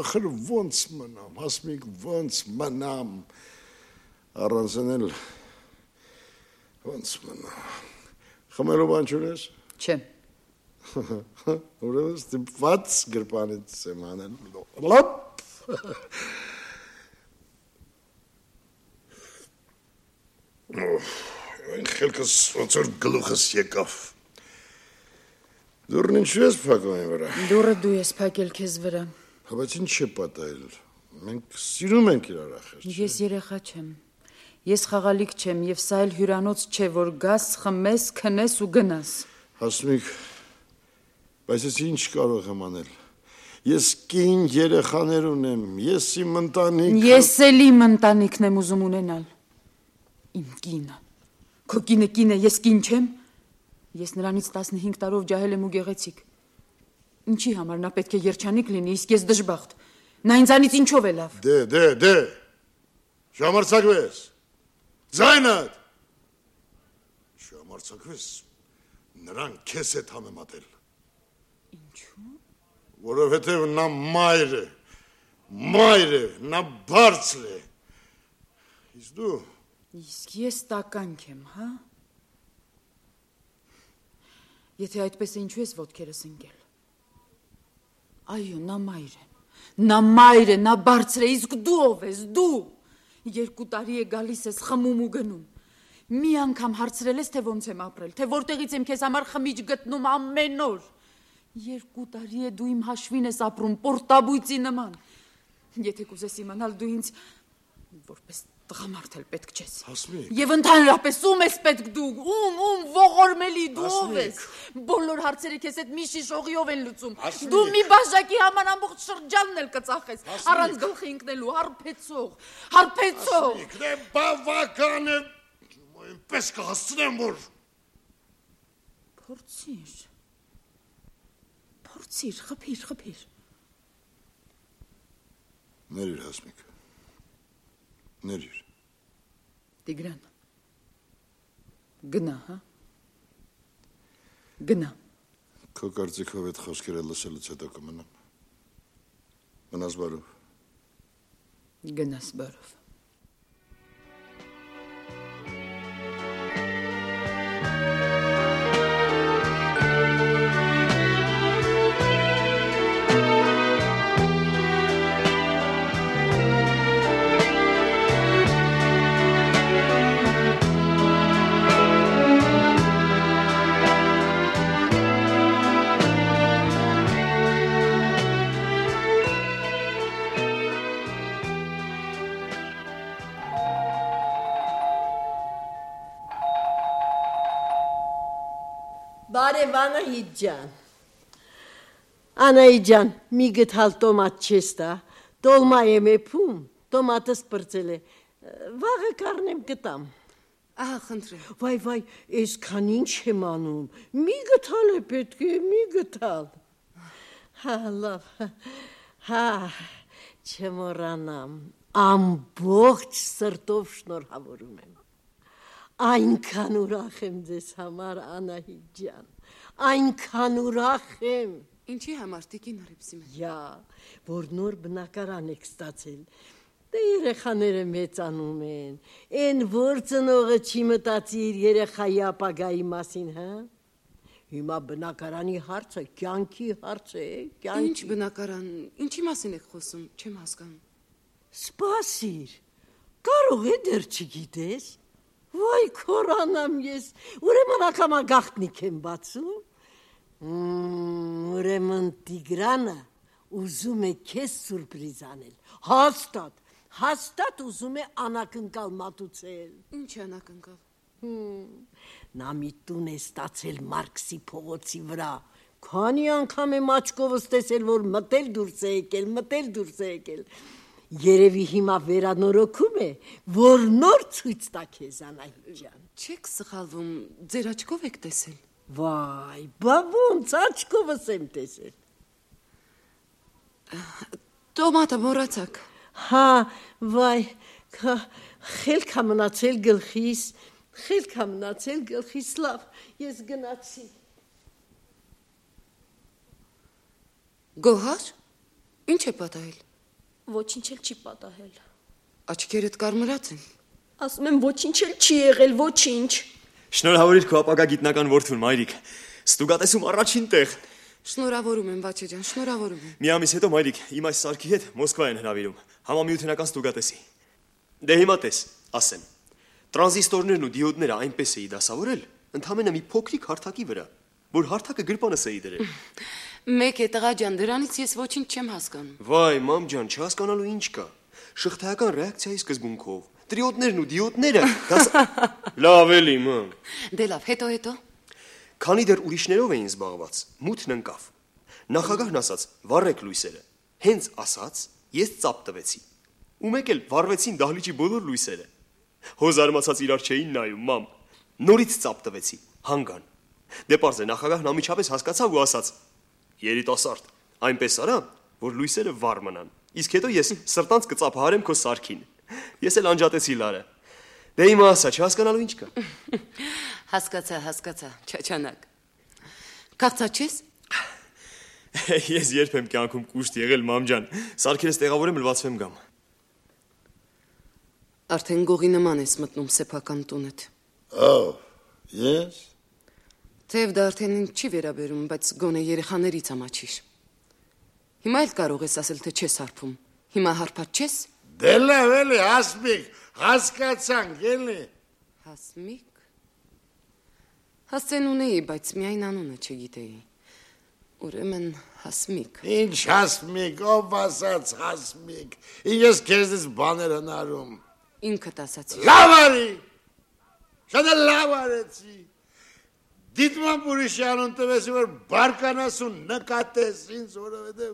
Ախր ոնց մնամ, ասմիկ, ոնց մնամ, առանցնել, ոնց մնամ, խմելու բան չունես։ Չէ։ Ուրեմն ստիպված գրպանից եմ անել, լոպ, Այն խելքս ոնց որ գլուխս եկավ։ Դուրն ինչու ես փակում եմ վրա։ Դուրը դու ես փակել քեզ վրա։ Բայց ինչ է պատահել։ Մենք սիրում ենք իրար ախր։ Ես երեխա չեմ։ Ես խաղալիք չեմ եւ սա էլ հյուրանոց չէ, որ գաս, խմես, քնես ու գնաս։ Հասմիկ, բայց ես ինչ կարող եմ անել։ Ես կին երեխաներ ունեմ, ես իմ ընտանիքը։ Ես էլ իմ ընտանիքն եմ ուզում ունենալ։ Իմ կինը։ Քո կինը կին է, ես կին չեմ։ Ես նրանից 15 տարով ջահել եմ ու գեղեցիկ։ Ինչի համար նա պետք է երջանիկ լինի, իսկ ես դժբախտ։ Նա ինձանից ինչով է լավ։ Դե։ Չհամարձակվես։ Ձայնդ։ Չհամարձակվես։ Նրան քեզ հետ համեմատել։ Ինչու՞։ Որովհետև նա մայր է, նա բարձր է։ Իսկ դու։ Իսկ ես տականք եմ, հա։ Եթե այդպես է, ինչու ես ոտքերս ընկել։ Այո, նա մայր է, նա բարձր է, իսկ դու ով ես, դու։ 2 տարի է գալիս ես, խմում ու գնում։ Մի անգամ հարցրել ես, թե ոնց եմ ապրել, թե որտեղից եմ քեզ համար խմիչ գտնում ամեն օր։ 2 տարի է դու իմ հաշվին ես ապրում, պորտաբույծի նման։ Եթե կուզես իմանալ, դու ինձ որպես տղամարդ էլ պետք չես։ Հասմիկ։ Եվ ընդհանրապես ում ես պետք դու, ում ողորմելի դու ով ես։ Բոլոր հարցերը քեզ հետ մի շիշողիով են լուծում։ Դու մի բաժակի համար ամբողջ շրջանն էլ կծախես, առանց գլխի ընկնելու, հարբեցող։ Հասմիկ, դե բավական է, այնպես կհասցնեմ, որ Փորձիր, խփիր։ Ներիր, Հասմիկ։ Ներիր։ Տիգրան, գնա, հա։ Գնա։ Քո կարծիքով այդ խոսքերը լսելուց հետո կմնամ։ Մնաս բարով։ Գնաս բարով։ Բարև Անահիտ ջան։ Անահիտ ջան, մի գտալ տոմատ չես տա, տոլմա եմ եփում, տոմատը սպրծել է, վաղը կառնեմ կտամ։ Ահա, խնդրեմ։ Վայ, այսքան ինչ եմ անում, մի գտալ է պետք է, մի գտալ։ Հա, լավ, հա, չմոռանամ, ամբողջ սրտով շնորհավորում եմ։ Այնքան ուրախ եմ ձեզ համար, Անահիտ ջան, այնքան ուրախ եմ։ Ինչի համար, տիկին Հռիփսիմե։ Որ նոր բնակարան եք ստացել, դե երեխաները մեծանում են, են որ ծնողը չի մտածի իր երեխայի ապագայի մասին, հա։ Հիմա բնակարանի հարցը կյանքի հարց է, կյանքի։ Ինչ բնակարան, ինչի մասին եք խոսում, չեմ հասկանում։ Սպասիր, կարող է դեռ չգիտես։ Վայ քորանամ ես, ուրեմն ակամա գաղտնիք եմ բացում, ուրեմն Տիգրանը ուզում է քեզ սուրպրիզ անել։ Հաստատ ուզում է անակնկալ մատուցել։ Ինչ անակնկալ։ Նա մի տուն է ստացել Մարքսի փողոցի վրա։ Քանի անգամ եմ աչքովս տեսել, որ մտել դուրս է եկել։ Երևի հիմա վերանորոգում է, որ նոր ցույց տա քեզ Անահիտ ջան։ Չեք սխալվում, ձեր աչքով եք տեսել։ Վայ, բա ոնց աչքովս եմ տեսել։ Տոմատը մոռացաք։ Հա, վայ, խելք ա մնացել գլխիս, լավ, ես գնացի։ Գոհար, ինչ է պատահել։ Ոչինչ էլ չի պատահել։ Աչքերդ կարմրած են։ Ասում եմ ոչինչ էլ չի եղել, ոչինչ։ Շնորհավորիր քո ապագա գիտնական որդուն, մայրիկ։ Ստուգատեսում առաջին տեղ։ Շնորհավորում եմ, Վաչե ջան, շնորհավորում եմ։ Մի ամիս հետո մայրիկ իմ այս սարքի հետ Մոսկվա են հրավիրում, համամիութենական ստուգատեսի։ Դե հիմա տես, ասեմ։ Տրանզիստորներն ու դիոդները այնպես էի դասավորել, ընդամենը մի փոքրիկ հարթակի վրա, որ հարթակը գրպանս էի դրել։ Մեկ է տղա ջան, դրանից ես ոչինչ չեմ հասկանում։ Վայ, մամ ջան, չհասկանալու ինչ կա։ Շղթայական ռեակցիայի սկզբունքով տրիոդներն ու դիոդները լավ էլի, մամ։ Դե լավ, հետո։ Քանի դեռ ուրիշներով էին զբաղված, մութն ընկավ։ Նախագահն ասաց՝ վառեք լույսերը։ Հենց ասաց, ես ծափ տվեցի։ Ու մեկ էլ վառվեցին դահլիճի բոլոր լույսերը։ Հոզարմացած իրար չէին նայում, մամ։ Նորից ծափ տվեցի, հանգան։ Դե պարզ է, նախագահն ամիջապես հասկացավ ու ասաց. երիտասարդ, այնպես արա, որ լույսերը վառ մնան։ Իսկ հետո ես սրտանց կծափահարեմ քո սարքին։ Ես էլ անջատեցի լարը։ Դե հիմա ասա, չհասկանալու ինչ կա։ Հասկացա, չաչանակ։ Քաղցած ես։ Ես երբ եմ կյանքում կուշտ եղել, մամ ջան, սարքերս տեղավորեմ, լվացվեմ գամ։ Արդեն գողի նման ես մտնում սեփական տունդ։ Ես։ Թեև դա արդեն ինձ չի վերաբերում, բայց գոնե երեխաներից ամաչիր։ Հիմա էլ կարող ես ասել, թե չես հարբում։ Հիմա հարբած չես։ Դե լավ էլի, Հասմիկ, հասկացանք էլի։ Հասմիկ։ Հասցեն ունեի, բայց միայն անունը չգիտեի։ Ուրեմն Հասմիկ։ Ինչ Հասմիկ, ով ասաց Հասմիկ։ Ես քեզից բաներ հնարում։ Ինքդ ասացի։ Լավ արի։ Շատ լավ արեցի։ Դիտման ուրիշյանուն տվեսի, որ բարկանաս ու նկատես ինձ, որովհետև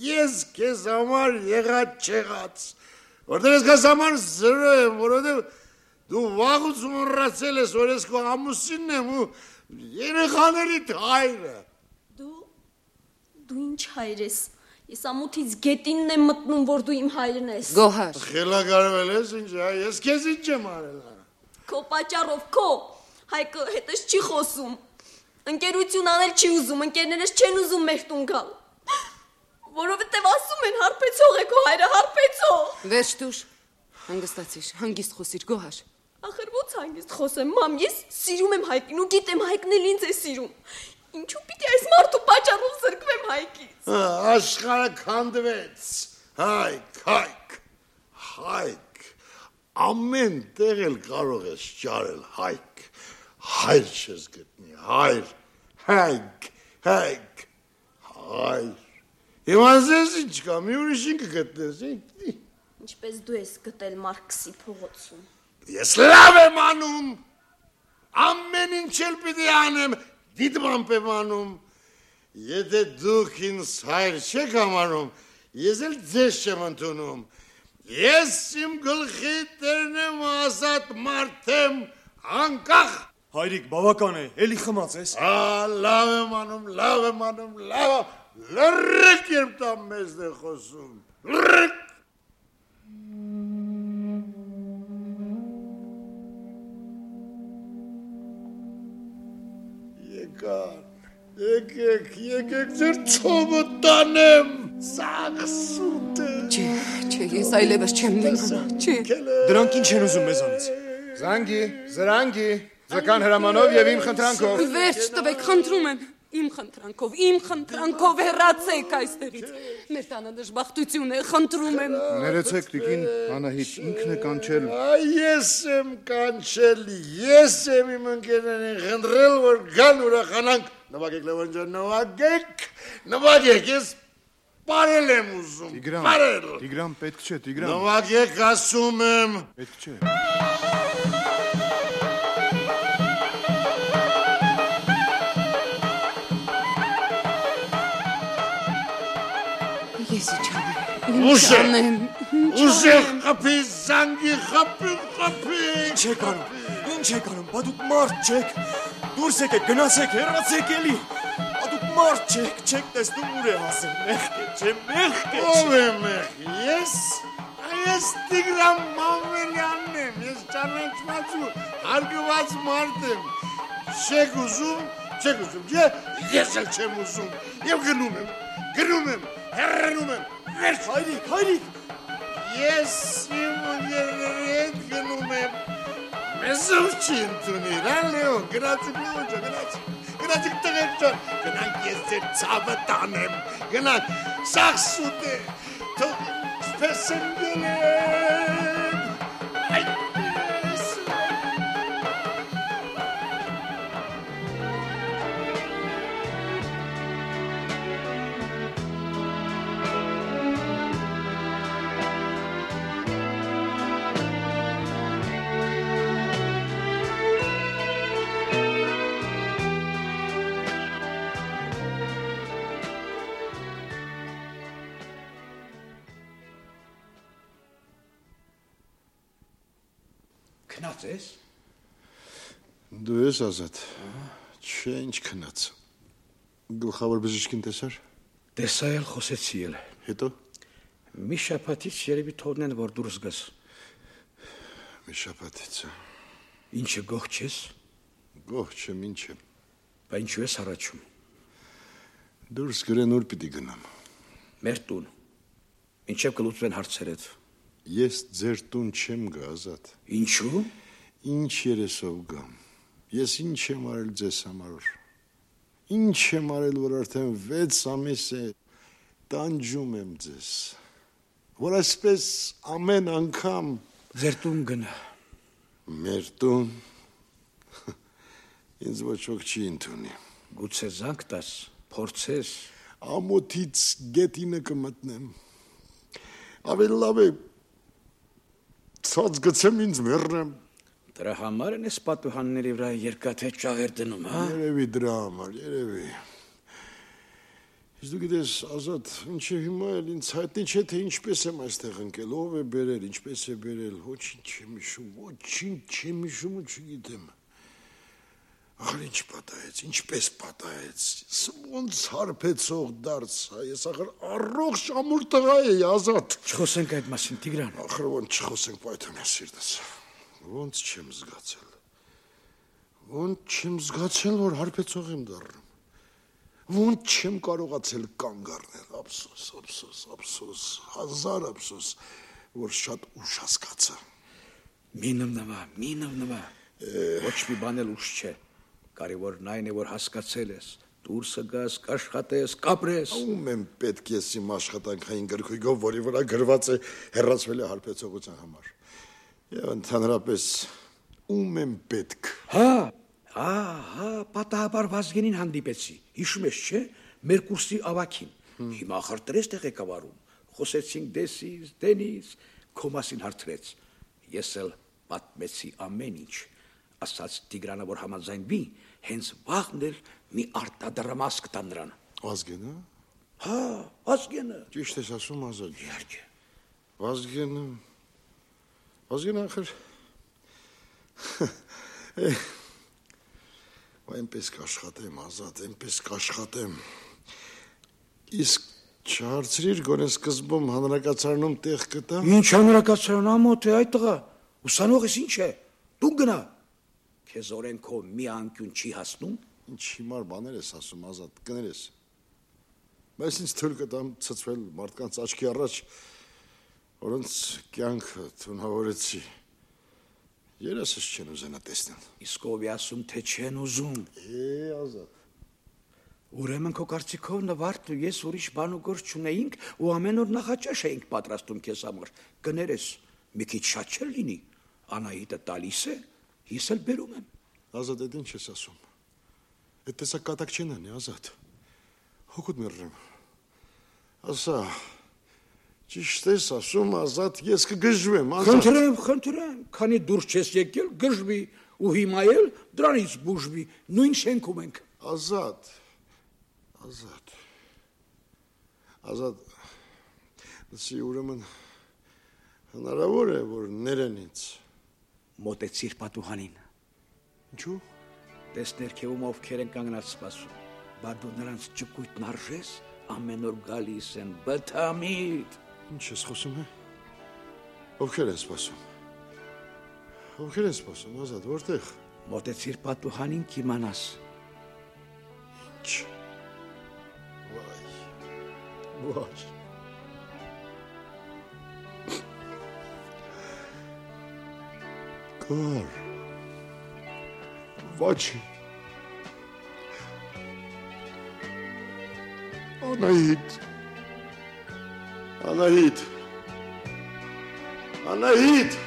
ես քեզ համար եղած չեղած, որտեղ ես քեզ համար զրո եմ, որովհետև դու վաղուց մոռացել ես, որ ես քո ամուսինն եմ ու երեխաներիդ հայրը։ Դու ինչ հայր ես։ Ես ամոթից գետինն եմ մտնում, որ դու իմ հայրն ես։ Գոհար։ Խելագարվել ես ինչ, ես քեզ ինչ եմ արել։ Քո պատճառով, քո Հայկը հետս չի խոսում։ Ընկերություն անել չի ուզում, ընկերներս չեն ուզում մեր տուն գալ։ Որովհետև ասում են հարբեցող է քո հայրը, հարբեցող։ Վերջ դուր, հանգստացիր, հանգիստ խոսիր, Գոհար։ Ախր ո՞նց հանգիստ խոսեմ, մամ, ես սիրում եմ Հայկին ու գիտեմ Հայկն էլ ինձ է սիրում։ Ինչու պիտի այս մարդու պատճառով զրկվեմ Հայկից։ Աշխարհը քանդվեց։ Հայկ։ Ամեն տեղ էլ կարող ես ճարել Հայկ։ Հայր չես գտնի, հայր։ Հիմա ես ինչ կա, մի ուրիշին կգտնես, Ինչպես դու ես գտել Մարքսի փողոցում։ Ես լավ եմ անում, ամեն ինչ էլ պիտի անեմ, դիտմամբ եմ անում, եթե դուք ինձ հայր չեք համարում, ես էլ ձեզ չեմ ընդունում, ես իմ գլխի տերն եմ ազատ մարդ եմ, անկախ։ Հայրիկ, բավական է, էլի խմած ես։ Լավ եմ անում, լրրեք երբ տա մեզ է խոսում, լրրեք։ Եկեք ձեր ծովը տանեմ, սաղ սուտ է։ Չէ, ես այլևս չեմ դիմանում, չէ։ Դրանք ինչ են ուզում մեզանից։ Զրանգի, ձգան հրամանով և իմ խնդրանքով։ Վերջ տվեք, խնդրում եմ, իմ խնդրանքով հեռացեք այստեղից։ Մեր տանը դժբախտություն է, խնդրում եմ։ Ներեցեք, տիկին Անահիտ, ինքն է կանչել։ Ես եմ կանչել, ես եմ իմ ընկերներին խնդրել, որ գան ուրախանանք։ Նվագեք, Լևոն ջան, նվագեք, ես Բարել եմ ուզում։ Տիգրան, պետք չէ, Տիգրան։ Նվագեք, ասում եմ։ Պետք չէ։ Ես ինչ անեմ։ Ուժեղ խփի, զանգի խփի։ Ինչ եք անում, բա դուք մարդ չեք։ Դուրս եկեք, գնացեք, հեռացեք էլի։ Բա դուք մարդ չեք տեսնում ուր է հասել։ Մեղք է, չէ, մեղք է։ Ով է մեղք։ Ես Տիգրան Մանվելյանն եմ, ես ճանաչված ու հարգված մարդ եմ։ Չեք ուզում, չէ, ես էլ չեմ ուզում։ Եվ գնում եմ, հեռանում եմ, վերջ։ Հայրիկ։ Ես իմ երների հետ գնում եմ։ Մեզ ով չի ընդունիր, Լեոն, գնացուկ Լեոն ջան, գնացուկ տղեր ջան, գնանք ես ձեր ցավը տանեմ, գնանք, սաղ սուտ է, թող սպես եմ գնեմ, այդպես։ Քնած ես։ Դու ես Ազատ։ Չէ, ինչ քնած։ Գլխավոր բժիշկին տեսար։ Տեսա էլ, խոսեցի էլ։ Հետո։ Մի շաբաթից երևի թողնեն, որ դուրս գաս։ Մի շաբաթից։ Ինչը գող չես։ Գող չեմ, ինչ եմ։ Բա ինչու ես առաջում։ Դուրս գրեն ուր պիտի գնամ։ Մեր տուն։ Ինչև կլուծվեն հարցերդ։ Ես ձեր տուն չեմ գա, Ազատ։ Ինչու։ Ինչ երեսով գամ։ Ես ինչ եմ արել ձեզ համար։ Ինչ եմ արել, որ արդեն 6 ամիս է տանջում եմ ձեզ։ Որ այսպես ամեն անգամ ձեր տուն գնա։ Մեր տուն։ Ինձ ոչ ոք չի ընդունի։ Գուցե զանգ տաս, փորձես։ Ամոթից գետինը կմտնեմ։ Ավելի լավ է ցած գցեմ ինձ մեռնեմ։ Դրա համար են այս պատուհանների վրա երկաթե ճաղեր դնում, հա։ Երևի դրա համար, երևի։ Իսկ դու գիտես, Ազատ, ինչը հիմա էլ ինձ հայտնի չէ, թե ինչպես եմ այստեղ ընկել, ով է բերել, ինչպես է բերել, ոչինչ չեմ հիշում ու չգիտեմ։ Ախր ինչ պատահեց, ինչպես պատահեց, ոնց հարբեցող դարձա, ես ախր առողջ ամուր տղա էի, Ազատ։ Չխոսենք այդ մասին, Տիգրան։ Ախր ոնց չխոսենք, պայթում ես սիրտս։ Ոնց չեմ զգացել, որ հարբեցող եմ դառնում։ Ոնց չեմ կարողացել կանգ առնել, ափսոս, հազար ափսոս, որ շատ ուշ հասկացա։ Մի նվնվա, ոչ մի բան էլ ուշ չէ, կարևորն այն է, որ հասկացել ես, դուրսը գաս, կաշխատես, կապրես։ Ում եմ պետք ես իմ աշխատանքային գրքույկով, որի վրա գրված է հեռացվել է հարբեցողության համար։ Եվ ընդհանրապես ում եմ պետք։ Հա, պատահաբար Վազգենին հանդիպեցի, հիշում ես չէ, մեր կուրսի ավագին, հիմա ախր տրես ղեկավարում, խոսեցինք դենից, քո մասին հարցրեց, ես էլ պատմեցի ամեն ինչ, ասաց Տիգրանը, որ համաձայնվի, հենց վաղն էլ մի արտադրամաս կտա նրան։ Վազգենը։ Հա, Վազգենը։ Ճիշտ ես ասում, Ազատ։ Իհարկե։ Վազգենը ախր այնպես կաշխատեմ, Ազատ, այնպես կաշխատեմ։ Իսկ չհարցրիր գոնե սկզբում հանրակացարանում տեղ կտա։ Ինչ հանրակացարան ամոթ է այդ տղա։ Ուսանող ես ինչ է։ Դու գնա։ Քեզ օրենքով մի անկյուն չի հասնում։ Ինչ հիմար բաներ ես ասում, Ազատ, կներես։ Բայց ինձ թույլ կտամ ցցվել մարդկանց աչքի առաջ, որոնց կյանքը թունավորեցի։ Երեսս չեն ուզենա տեսնել։ Իսկ ով է ասում, թե չեն ուզում։ Ազատ։ Ուրեմն քո կարծիքով Նվարդ ու ես ուրիշ բան ու գործ չունեինք ու ամեն օր նախաճաշ էինք պատրաստում քեզ համար։ Կներես, մի քիչ շատ չէ լինի։ Անահիտը տալիս է, ես էլ բերում եմ։ Ազատ, այդ ինչ ես ասում։ Այդ տեսակ կատակ չեն անի, Ազատ։ Հոգուտ մեռնեմ։ Ասա, ճիշտ ես ասում, Ազատ, ես կգժվեմ, Խնդրեմ, քանի դուրս չես եկել, գժվի ու հիմա էլ դրանից բուժվի, նույն շենքում ենք։ Ազատ, լսի, ուրեմն հնարավոր է, որ ներեն ինձ։ Մոտեցիր պատուհանին։ Ինչու՞։ Տեսներ քեվում ովքեր են կանգնած սպասում, բա դու նրանց ճկույթն արժես, ամեն օր գալիս են բթամիտ։ Ինչ ես խոսում է։ Ովքեր են սպասում։ Ովքեր են սպասում, Ազատ, որտեղ։ Մոտեցիր պատուհանին կիմանաս։ Ինչ։ Վայ։ Կար։ Վաչի։ Անահիտ։ Անահիտ։